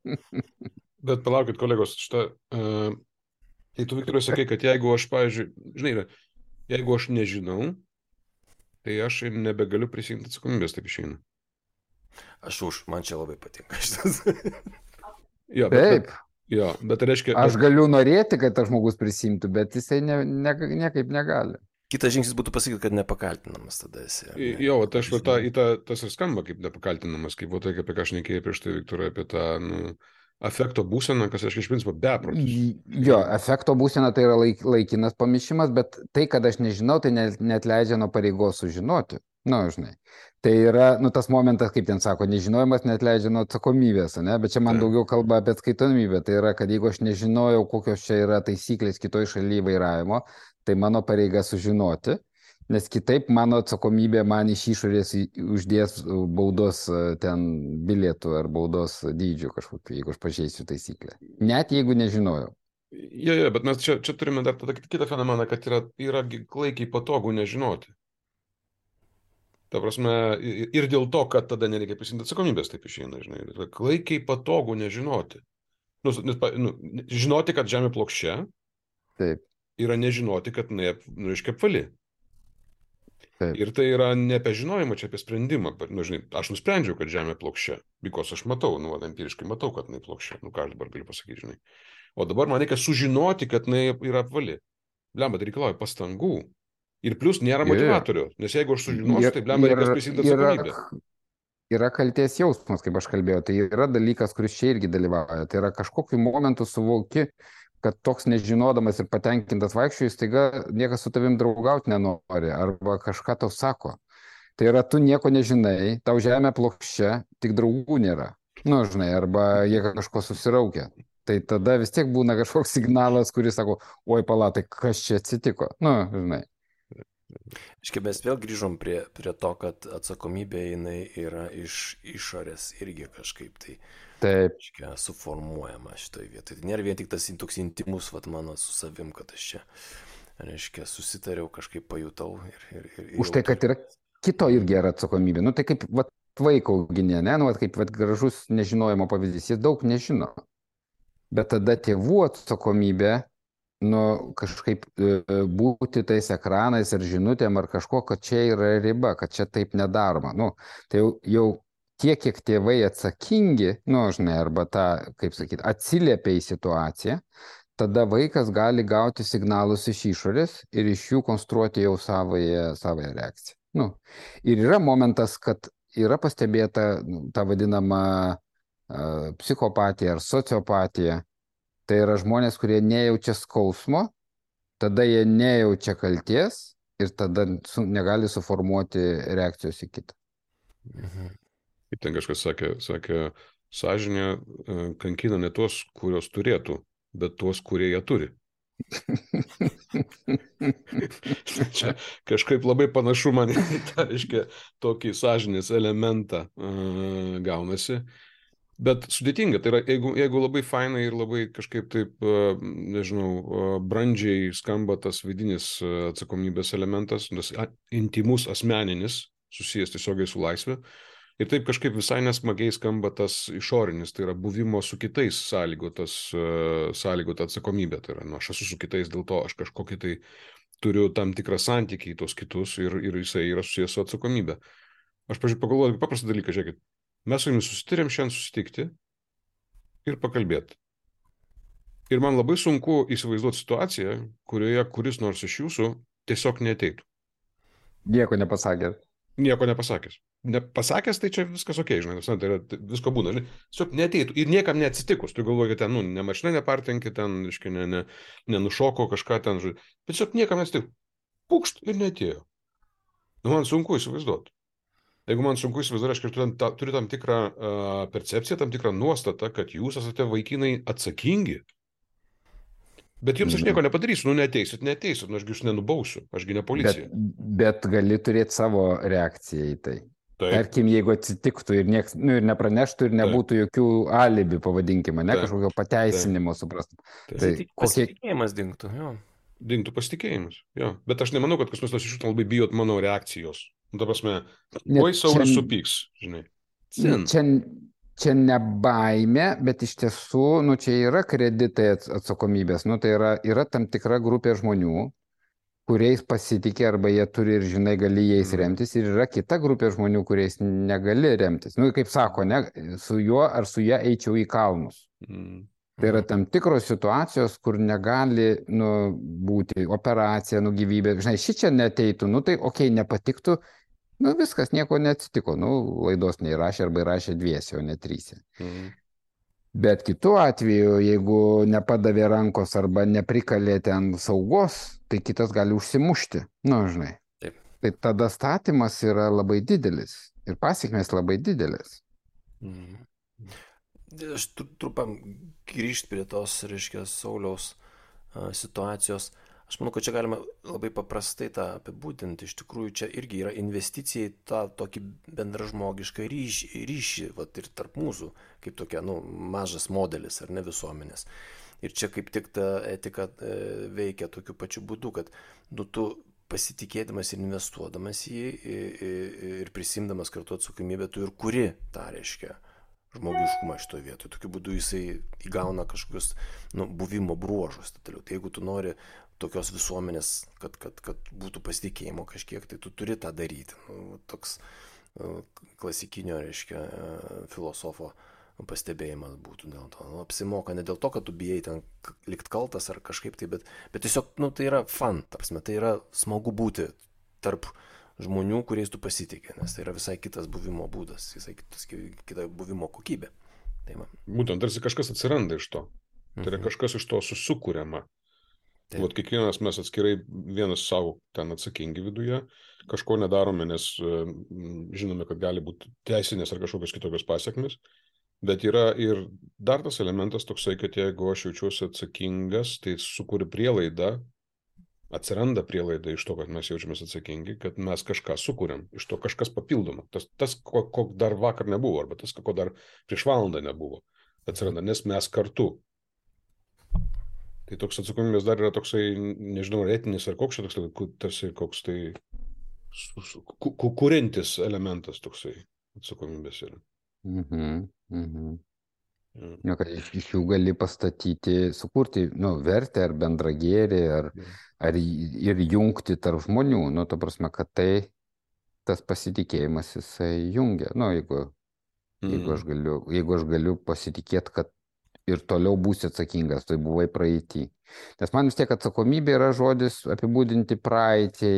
Bet palaukit, kolegos, šitą... Uh, tai tu, Viktorai, sakai, kad jeigu aš, pavyzdžiui, žinai, jeigu aš nežinau, tai aš ir nebegaliu prisimti atsakomybės, taip išeina. Aš už, man čia labai patinka šitas. Ja, bet, taip. Bet, ja, bet reiškia... Aš bet... galiu norėti, kad tas žmogus prisimtų, bet jisai ne, ne, niekaip negali. Kitas žingsnis būtų pasakyti, kad nepakaltinamas tada esi. Ne? Jo, tai aš va, ta, ta, tas ir skamba kaip nepakaltinamas, kaip va, tai, apie ką aš nekėjau prieš tai, Viktorai, apie tą nu, afekto būseną, kas aš iš principo beprotis. Jo, afekto būsena tai yra laik, laikinas pamišimas, bet tai, kad aš nežinau, tai net, net leidžia nuo pareigos sužinoti. Na, nu, žinai. Tai yra, nu, tas momentas, kaip ten sako, nežinojimas net leidžia nuo atsakomybės, ne? Bet čia man daugiau kalba apie atskaitomybę. Tai yra, kad jeigu aš nežinojau, kokios čia yra taisyklės kitoj šalyje vairavimo, tai mano pareiga sužinoti, nes kitaip mano atsakomybė man iš išorės uždės baudos ten bilietų ar baudos dydžių kažkokiu, jeigu aš pažeisiu taisyklę. Net jeigu nežinojau. Jo, jo, bet mes čia, čia turime dar tada kitą fenomeną, kad yra, yra klaikiai patogu nežinoti. Ta prasme, ir dėl to, kad tada nereikia prisimti atsakomybės, taip išeina, žinai. Klaikiai patogu nežinoti. Nu, nes, nu, žinoti, kad žemė plokščia, taip. Yra nežinoti, kad jinai, nu, reiškia, apvali. Taip. Ir tai yra ne apie žinojimą, čia apie sprendimą. Nu, žinai, aš nusprendžiau, kad žemė plokščia, bikos aš matau, nu, empiriškai matau, kad jinai plokščia. Nu, ką aš dabar galiu pasakyti, žinai. O dabar man reikia sužinoti, kad jinai yra apvali. Blemba, tai reikalauja pastangų. Ir plus nėra motivatorių, nes jeigu aš sužinosiu, tai blemba reikės prisimti atsakomybę. Yra, yra kaltės jausmas, kaip aš kalbėjau, tai yra dalykas, kuris čia irgi dalyvauja. Tai yra kažkokiu momentu suvoki, kad toks nežinodamas ir patenkintas vaikščiojus, taiga niekas su tavim draugauti nenori, arba kažką tau sako. Tai yra, tu nieko nežinai, tau žemė plokščia, tik draugų nėra. Nu, žinai, arba jie kažko susiraukia. Tai tada vis tiek būna kažkoks signalas, kuris sako, oi palatai, kas čia atsitiko. Nu, žinai. Iškai mes vėl grįžom prie, prie to, kad atsakomybė jinai yra iš išorės irgi kažkaip tai Taip. Iškai, suformuojama šitoje vietoje. Tai nėra vien tik tas toks intimus, vat mano su savim, kad aš čia, reiškia, susitariau, kažkaip pajutau. Ir, ir, ir, Už tai, kad yra kito irgi yra atsakomybė. Nu, tai kaip vat, vaiko auginė, ne? Nu, vat, kaip vat, gražus nežinojimo pavyzdys, jis daug nežino. Bet tada tėvų atsakomybė, nu, kažkaip e, būti tais ekranais ar žinutėm ar kažko, kad čia yra riba, kad čia taip nedaroma. Nu, tai jau, jau tiek, kiek tėvai atsakingi, nu, žinai, arba tą, kaip sakyti, atsiliepia į situaciją, tada vaikas gali gauti signalus iš išorės ir iš jų konstruoti jau savoje, savoje reakciją. Nu, ir yra momentas, kad yra pastebėta nu, ta vadinama uh, psichopatija ar sociopatija. Tai yra žmonės, kurie nejaučia skausmo, tada jie nejaučia kalties ir tada su, negali suformuoti reakcijos į kitą. Mhm. Kaip ten kažkas sakė, sakė, sąžinė kankina ne tuos, kurios turėtų, bet tuos, kurie ją turi. Čia kažkaip labai panašu man į tą, reiškia, tokį sąžinės elementą uh, gaunasi. Bet sudėtinga, tai yra, jeigu, jeigu labai fainai ir labai kažkaip taip, nežinau, brandžiai skamba tas vidinis atsakomybės elementas, tas intimus asmeninis, susijęs tiesiogiai su laisvė, ir taip kažkaip visai nesmagiai skamba tas išorinis, tai yra buvimo su kitais sąlygotas, sąlygota atsakomybė, tai yra, nu, aš esu su kitais, dėl to aš kažkokį tai turiu tam tikrą santykį į tos kitus ir, ir jisai yra susijęs su atsakomybė. Aš, pažiūrėjau, pagalvoju, paprastą dalyką, žiūrėkit. Mes su jumis susitarėm šiandien susitikti ir pakalbėti. Ir man labai sunku įsivaizduoti situaciją, kurioje kuris nors iš jūsų tiesiog neateitų. Nieko nepasakęs. Nieko nepasakęs. Nepasakęs, tai čia viskas ok, žinai, tai yra, visko būna, žinai, tiesiog neateitų ir niekam neatsitikus. Tu galvoji, kad ten, nu, ne mašina nepartenkė, ten, iškai, ne, ne, nenušoko kažką ten, žinai, bet tiesiog niekam neatsitikus. Pukšt ir neatėjo. Nu, man sunku įsivaizduoti. Jeigu man sunku įsivaizduoti, aš turiu tam, turiu tam tikrą uh, percepciją, tam tikrą nuostatą, kad jūs esate vaikinai atsakingi. Bet jums aš nieko nepadarysiu, nu neteisit, neteisit, nu ašgi jūs nenubausiu, ašgi ne policija. Bet, bet gali turėti savo reakciją į tai. Taip. Tarkim, jeigu atsitiktų ir, nieks, nu, ir nepraneštų ir nebūtų Taip. Jokių alibi, pavadinkime, ne Taip. Kažkokio pateisinimo, suprastum. Tai pasitikėjimas kokie... dingtų, jo. Dingtų pasitikėjimas, jo. Bet aš nemanau, kad kas nors iš jūsų labai bijot mano reakcijos. Nu, ta prasme, oi Saulius supyks, žinai. Sin. Čia, čia ne baimė, bet iš tiesų, nu, čia yra kreditai atsakomybės. Nu, tai yra, yra tam tikra grupė žmonių, kuriais pasitikė arba jie turi ir, žinai, gali jais remtis. Ir yra kita grupė žmonių, kuriais negali remtis. Nu, kaip sako, ne, su juo ar su ją eičiau į kalnus. Mm. Tai yra tam tikros situacijos, kur negali nu, būti operacija, nu gyvybė. Žinai, ši čia neteitų, nu tai okei, okay, nepatiktų, nu viskas, nieko neatsitiko. Nu, laidos neįrašė arba įrašė dviese, o ne tryse. Mhm. Bet kitu atveju, jeigu nepadavė rankos arba neprikalė ten saugos, tai kitas gali užsimušti. Nu, žinai. Taip. Tai tada statymas yra labai didelis ir pasiekmės labai didelis. Mhm. Aš trupam grįžti prie tos, reiškia, Sauliaus a, situacijos. Aš manau, kad čia galima labai paprastai tą apibūdinti. Iš tikrųjų, čia irgi yra investicija į tą tokį bendražmogišką ryšį, ryšį vat, ir tarp mūsų, kaip tokia, nu, mažas modelis, ar ne, visuomenės. Ir čia kaip tik ta etika e, veikia tokiu pačiu būdu, kad nu, tu pasitikėdamas ir investuodamas į jį ir prisimdamas kartu atsakomybę, tu ir kuri tą, reiškia, žmogiškumą šitoje vietoje. Tokiu būdu jisai įgauna kažkokius nu, buvimo bruožus. Tai jeigu tu nori tokios visuomenės, kad, kad, kad būtų pasitikėjimo kažkiek, tai tu turi tą daryti. Nu, toks uh, klasikinio, reiškia, uh, filosofo pastebėjimas būtų dėl to. Nu, apsimoka ne dėl to, kad tu bijai ten likt kaltas ar kažkaip tai, bet, bet tiesiog nu, tai yra fun, tapsime, tai yra smagu būti tarp žmonių, kuriais tu pasitikė, nes tai yra visai kitas buvimo būdas, visai kitas, kita buvimo kokybė. Tai man. Būtent, tarsi kažkas atsiranda iš to. Tai yra kažkas iš to susikuriama. Vat kiekvienas mes atskirai vienas savo ten atsakingi viduje, kažko nedarome, nes žinome, kad gali būti teisinės ar kažkokios kitokios pasiekmes, bet yra ir dar tas elementas toksai, kad jeigu aš jaučiuosi atsakingas, tai sukuri prielaidą, atsiranda prielaida iš to, kad mes jaučiamės atsakingi, kad mes kažką sukūrėm, iš to kažkas papildoma. Tas, tas ko, ko dar vakar nebuvo, arba tas, ko dar prieš valandą nebuvo, atsiranda, nes mes kartu. Tai toks atsakomybės dar yra toksai, nežinau, etinis ar koks čia toks, tarsi koks tai kuriantis elementas toksai atsakomybės yra. Mhm, mhm. Ja, kad iš, iš jų gali pastatyti, sukurti nu, vertę ar bendrą gėrį, ar, ar ir jungti tarp žmonių. Nu, to prasme, kad tai tas pasitikėjimas jisai jungia. Nu, jeigu, mm. jeigu, aš galiu, jeigu aš galiu pasitikėti, kad ir toliau būsi atsakingas, tai buvai praeitį. Nes man vis tiek atsakomybė yra žodis apibūdinti praeitį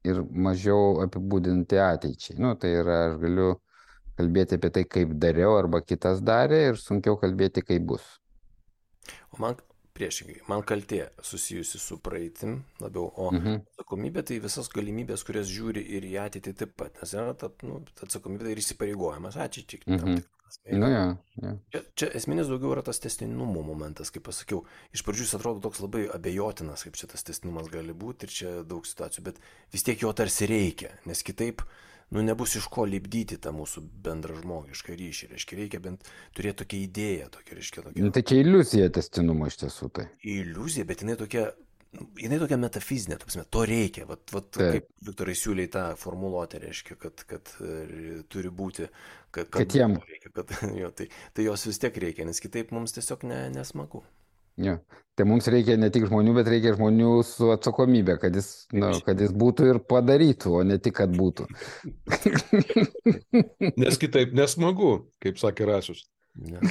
ir mažiau apibūdinti ateičiai. Nu, tai yra, aš galiu kalbėti apie tai, kaip dariau arba kitas darė ir sunkiau kalbėti, kaip bus. O man priešingai, man kaltė susijusi su praeitim labiau, o mhm. atsakomybė tai visas galimybės, kurias žiūri ir į ateitį taip pat, nes yra ta, nu, atsakomybė ir įsipareigojimas ateičiai. Mhm. Nu, ja, ja. Čia, čia esminis daugiau yra tas tęstinumo momentas, kaip pasakiau. Iš pradžių jis atrodo toks labai abejotinas, kaip čia tas tęstinumas gali būti ir čia daug situacijų, bet vis tiek jo tarsi reikia, nes kitaip nu, nebus iš ko lipdyti tą mūsų bendrą žmogišką ryšį. Reiškia, reikia bent turėti tokią idėją. Tokia, reiškia, tokia... Tai čia iliuzija tęstinumo iš tiesų tai. Iliuzija, bet jinai tokia, jinai tokia metafizinė, tapsime, to reikia. Vat, vat, kaip Viktorai siūlė tą formuluotę, reiškia, kad, kad turi būti, kad, kad, kad jam reikia, kad, jo, tai, tai jos vis tiek reikia, nes kitaip mums tiesiog ne, nesmagu. Ja. Tai mums reikia ne tik žmonių, bet reikia žmonių su atsakomybė, kad jis, nu, kad jis būtų ir padarytų, o ne tik, kad būtų. Nes kitaip nesmagu, kaip sakė Rasius. Ja.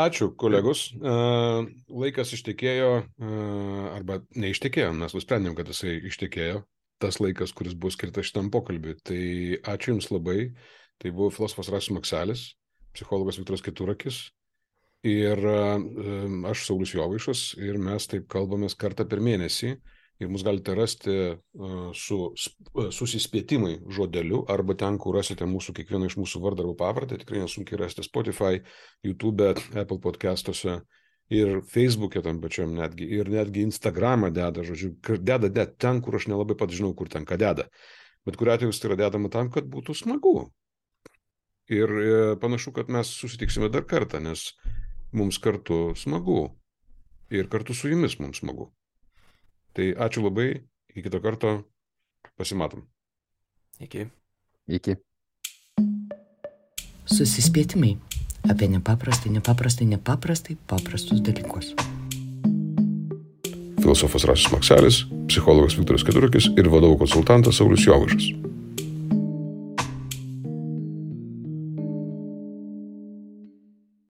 Ačiū, kolegos. Laikas ištekėjo, arba neištekėjo, mes nusprendėm, kad jisai ištekėjo, tas laikas, kuris buvo skirtas šitam pokalbiui. Tai ačiū Jums labai. Tai buvo filosofas Rasius Makselis, psichologas Viktoras Keturakis. Ir uh, aš Saulius Jovaišas ir mes taip kalbamės kartą per mėnesį ir mus galite rasti uh, su uh, susispėtimai žodeliu arba ten, kur rasite mūsų, kiekvieną iš mūsų vardą arba pavardę, tikrai nesunkiai rasite Spotify, YouTube, Apple podcastuose ir Facebook'e tam pačiam netgi ir netgi Instagramą deda, žodžiu, deda, deda ten, kur aš nelabai pat žinau, kur ten ką deda, bet kuriuo atveju tai yra dedama tam, kad būtų smagu. Ir e, panašu, kad mes susitiksime dar kartą, nes mums kartu smagu. Ir kartu su jumis mums smagu. Tai ačiū labai. Iki kito karto. Pasimatom. Iki. Iki. Susispėtimai apie nepaprastai, nepaprastai, nepaprastai paprastus dalykus. Filosofas Rasius Makselis, psichologas Viktoras Keturakis ir vadovų konsultantas Saulius Jovaišas.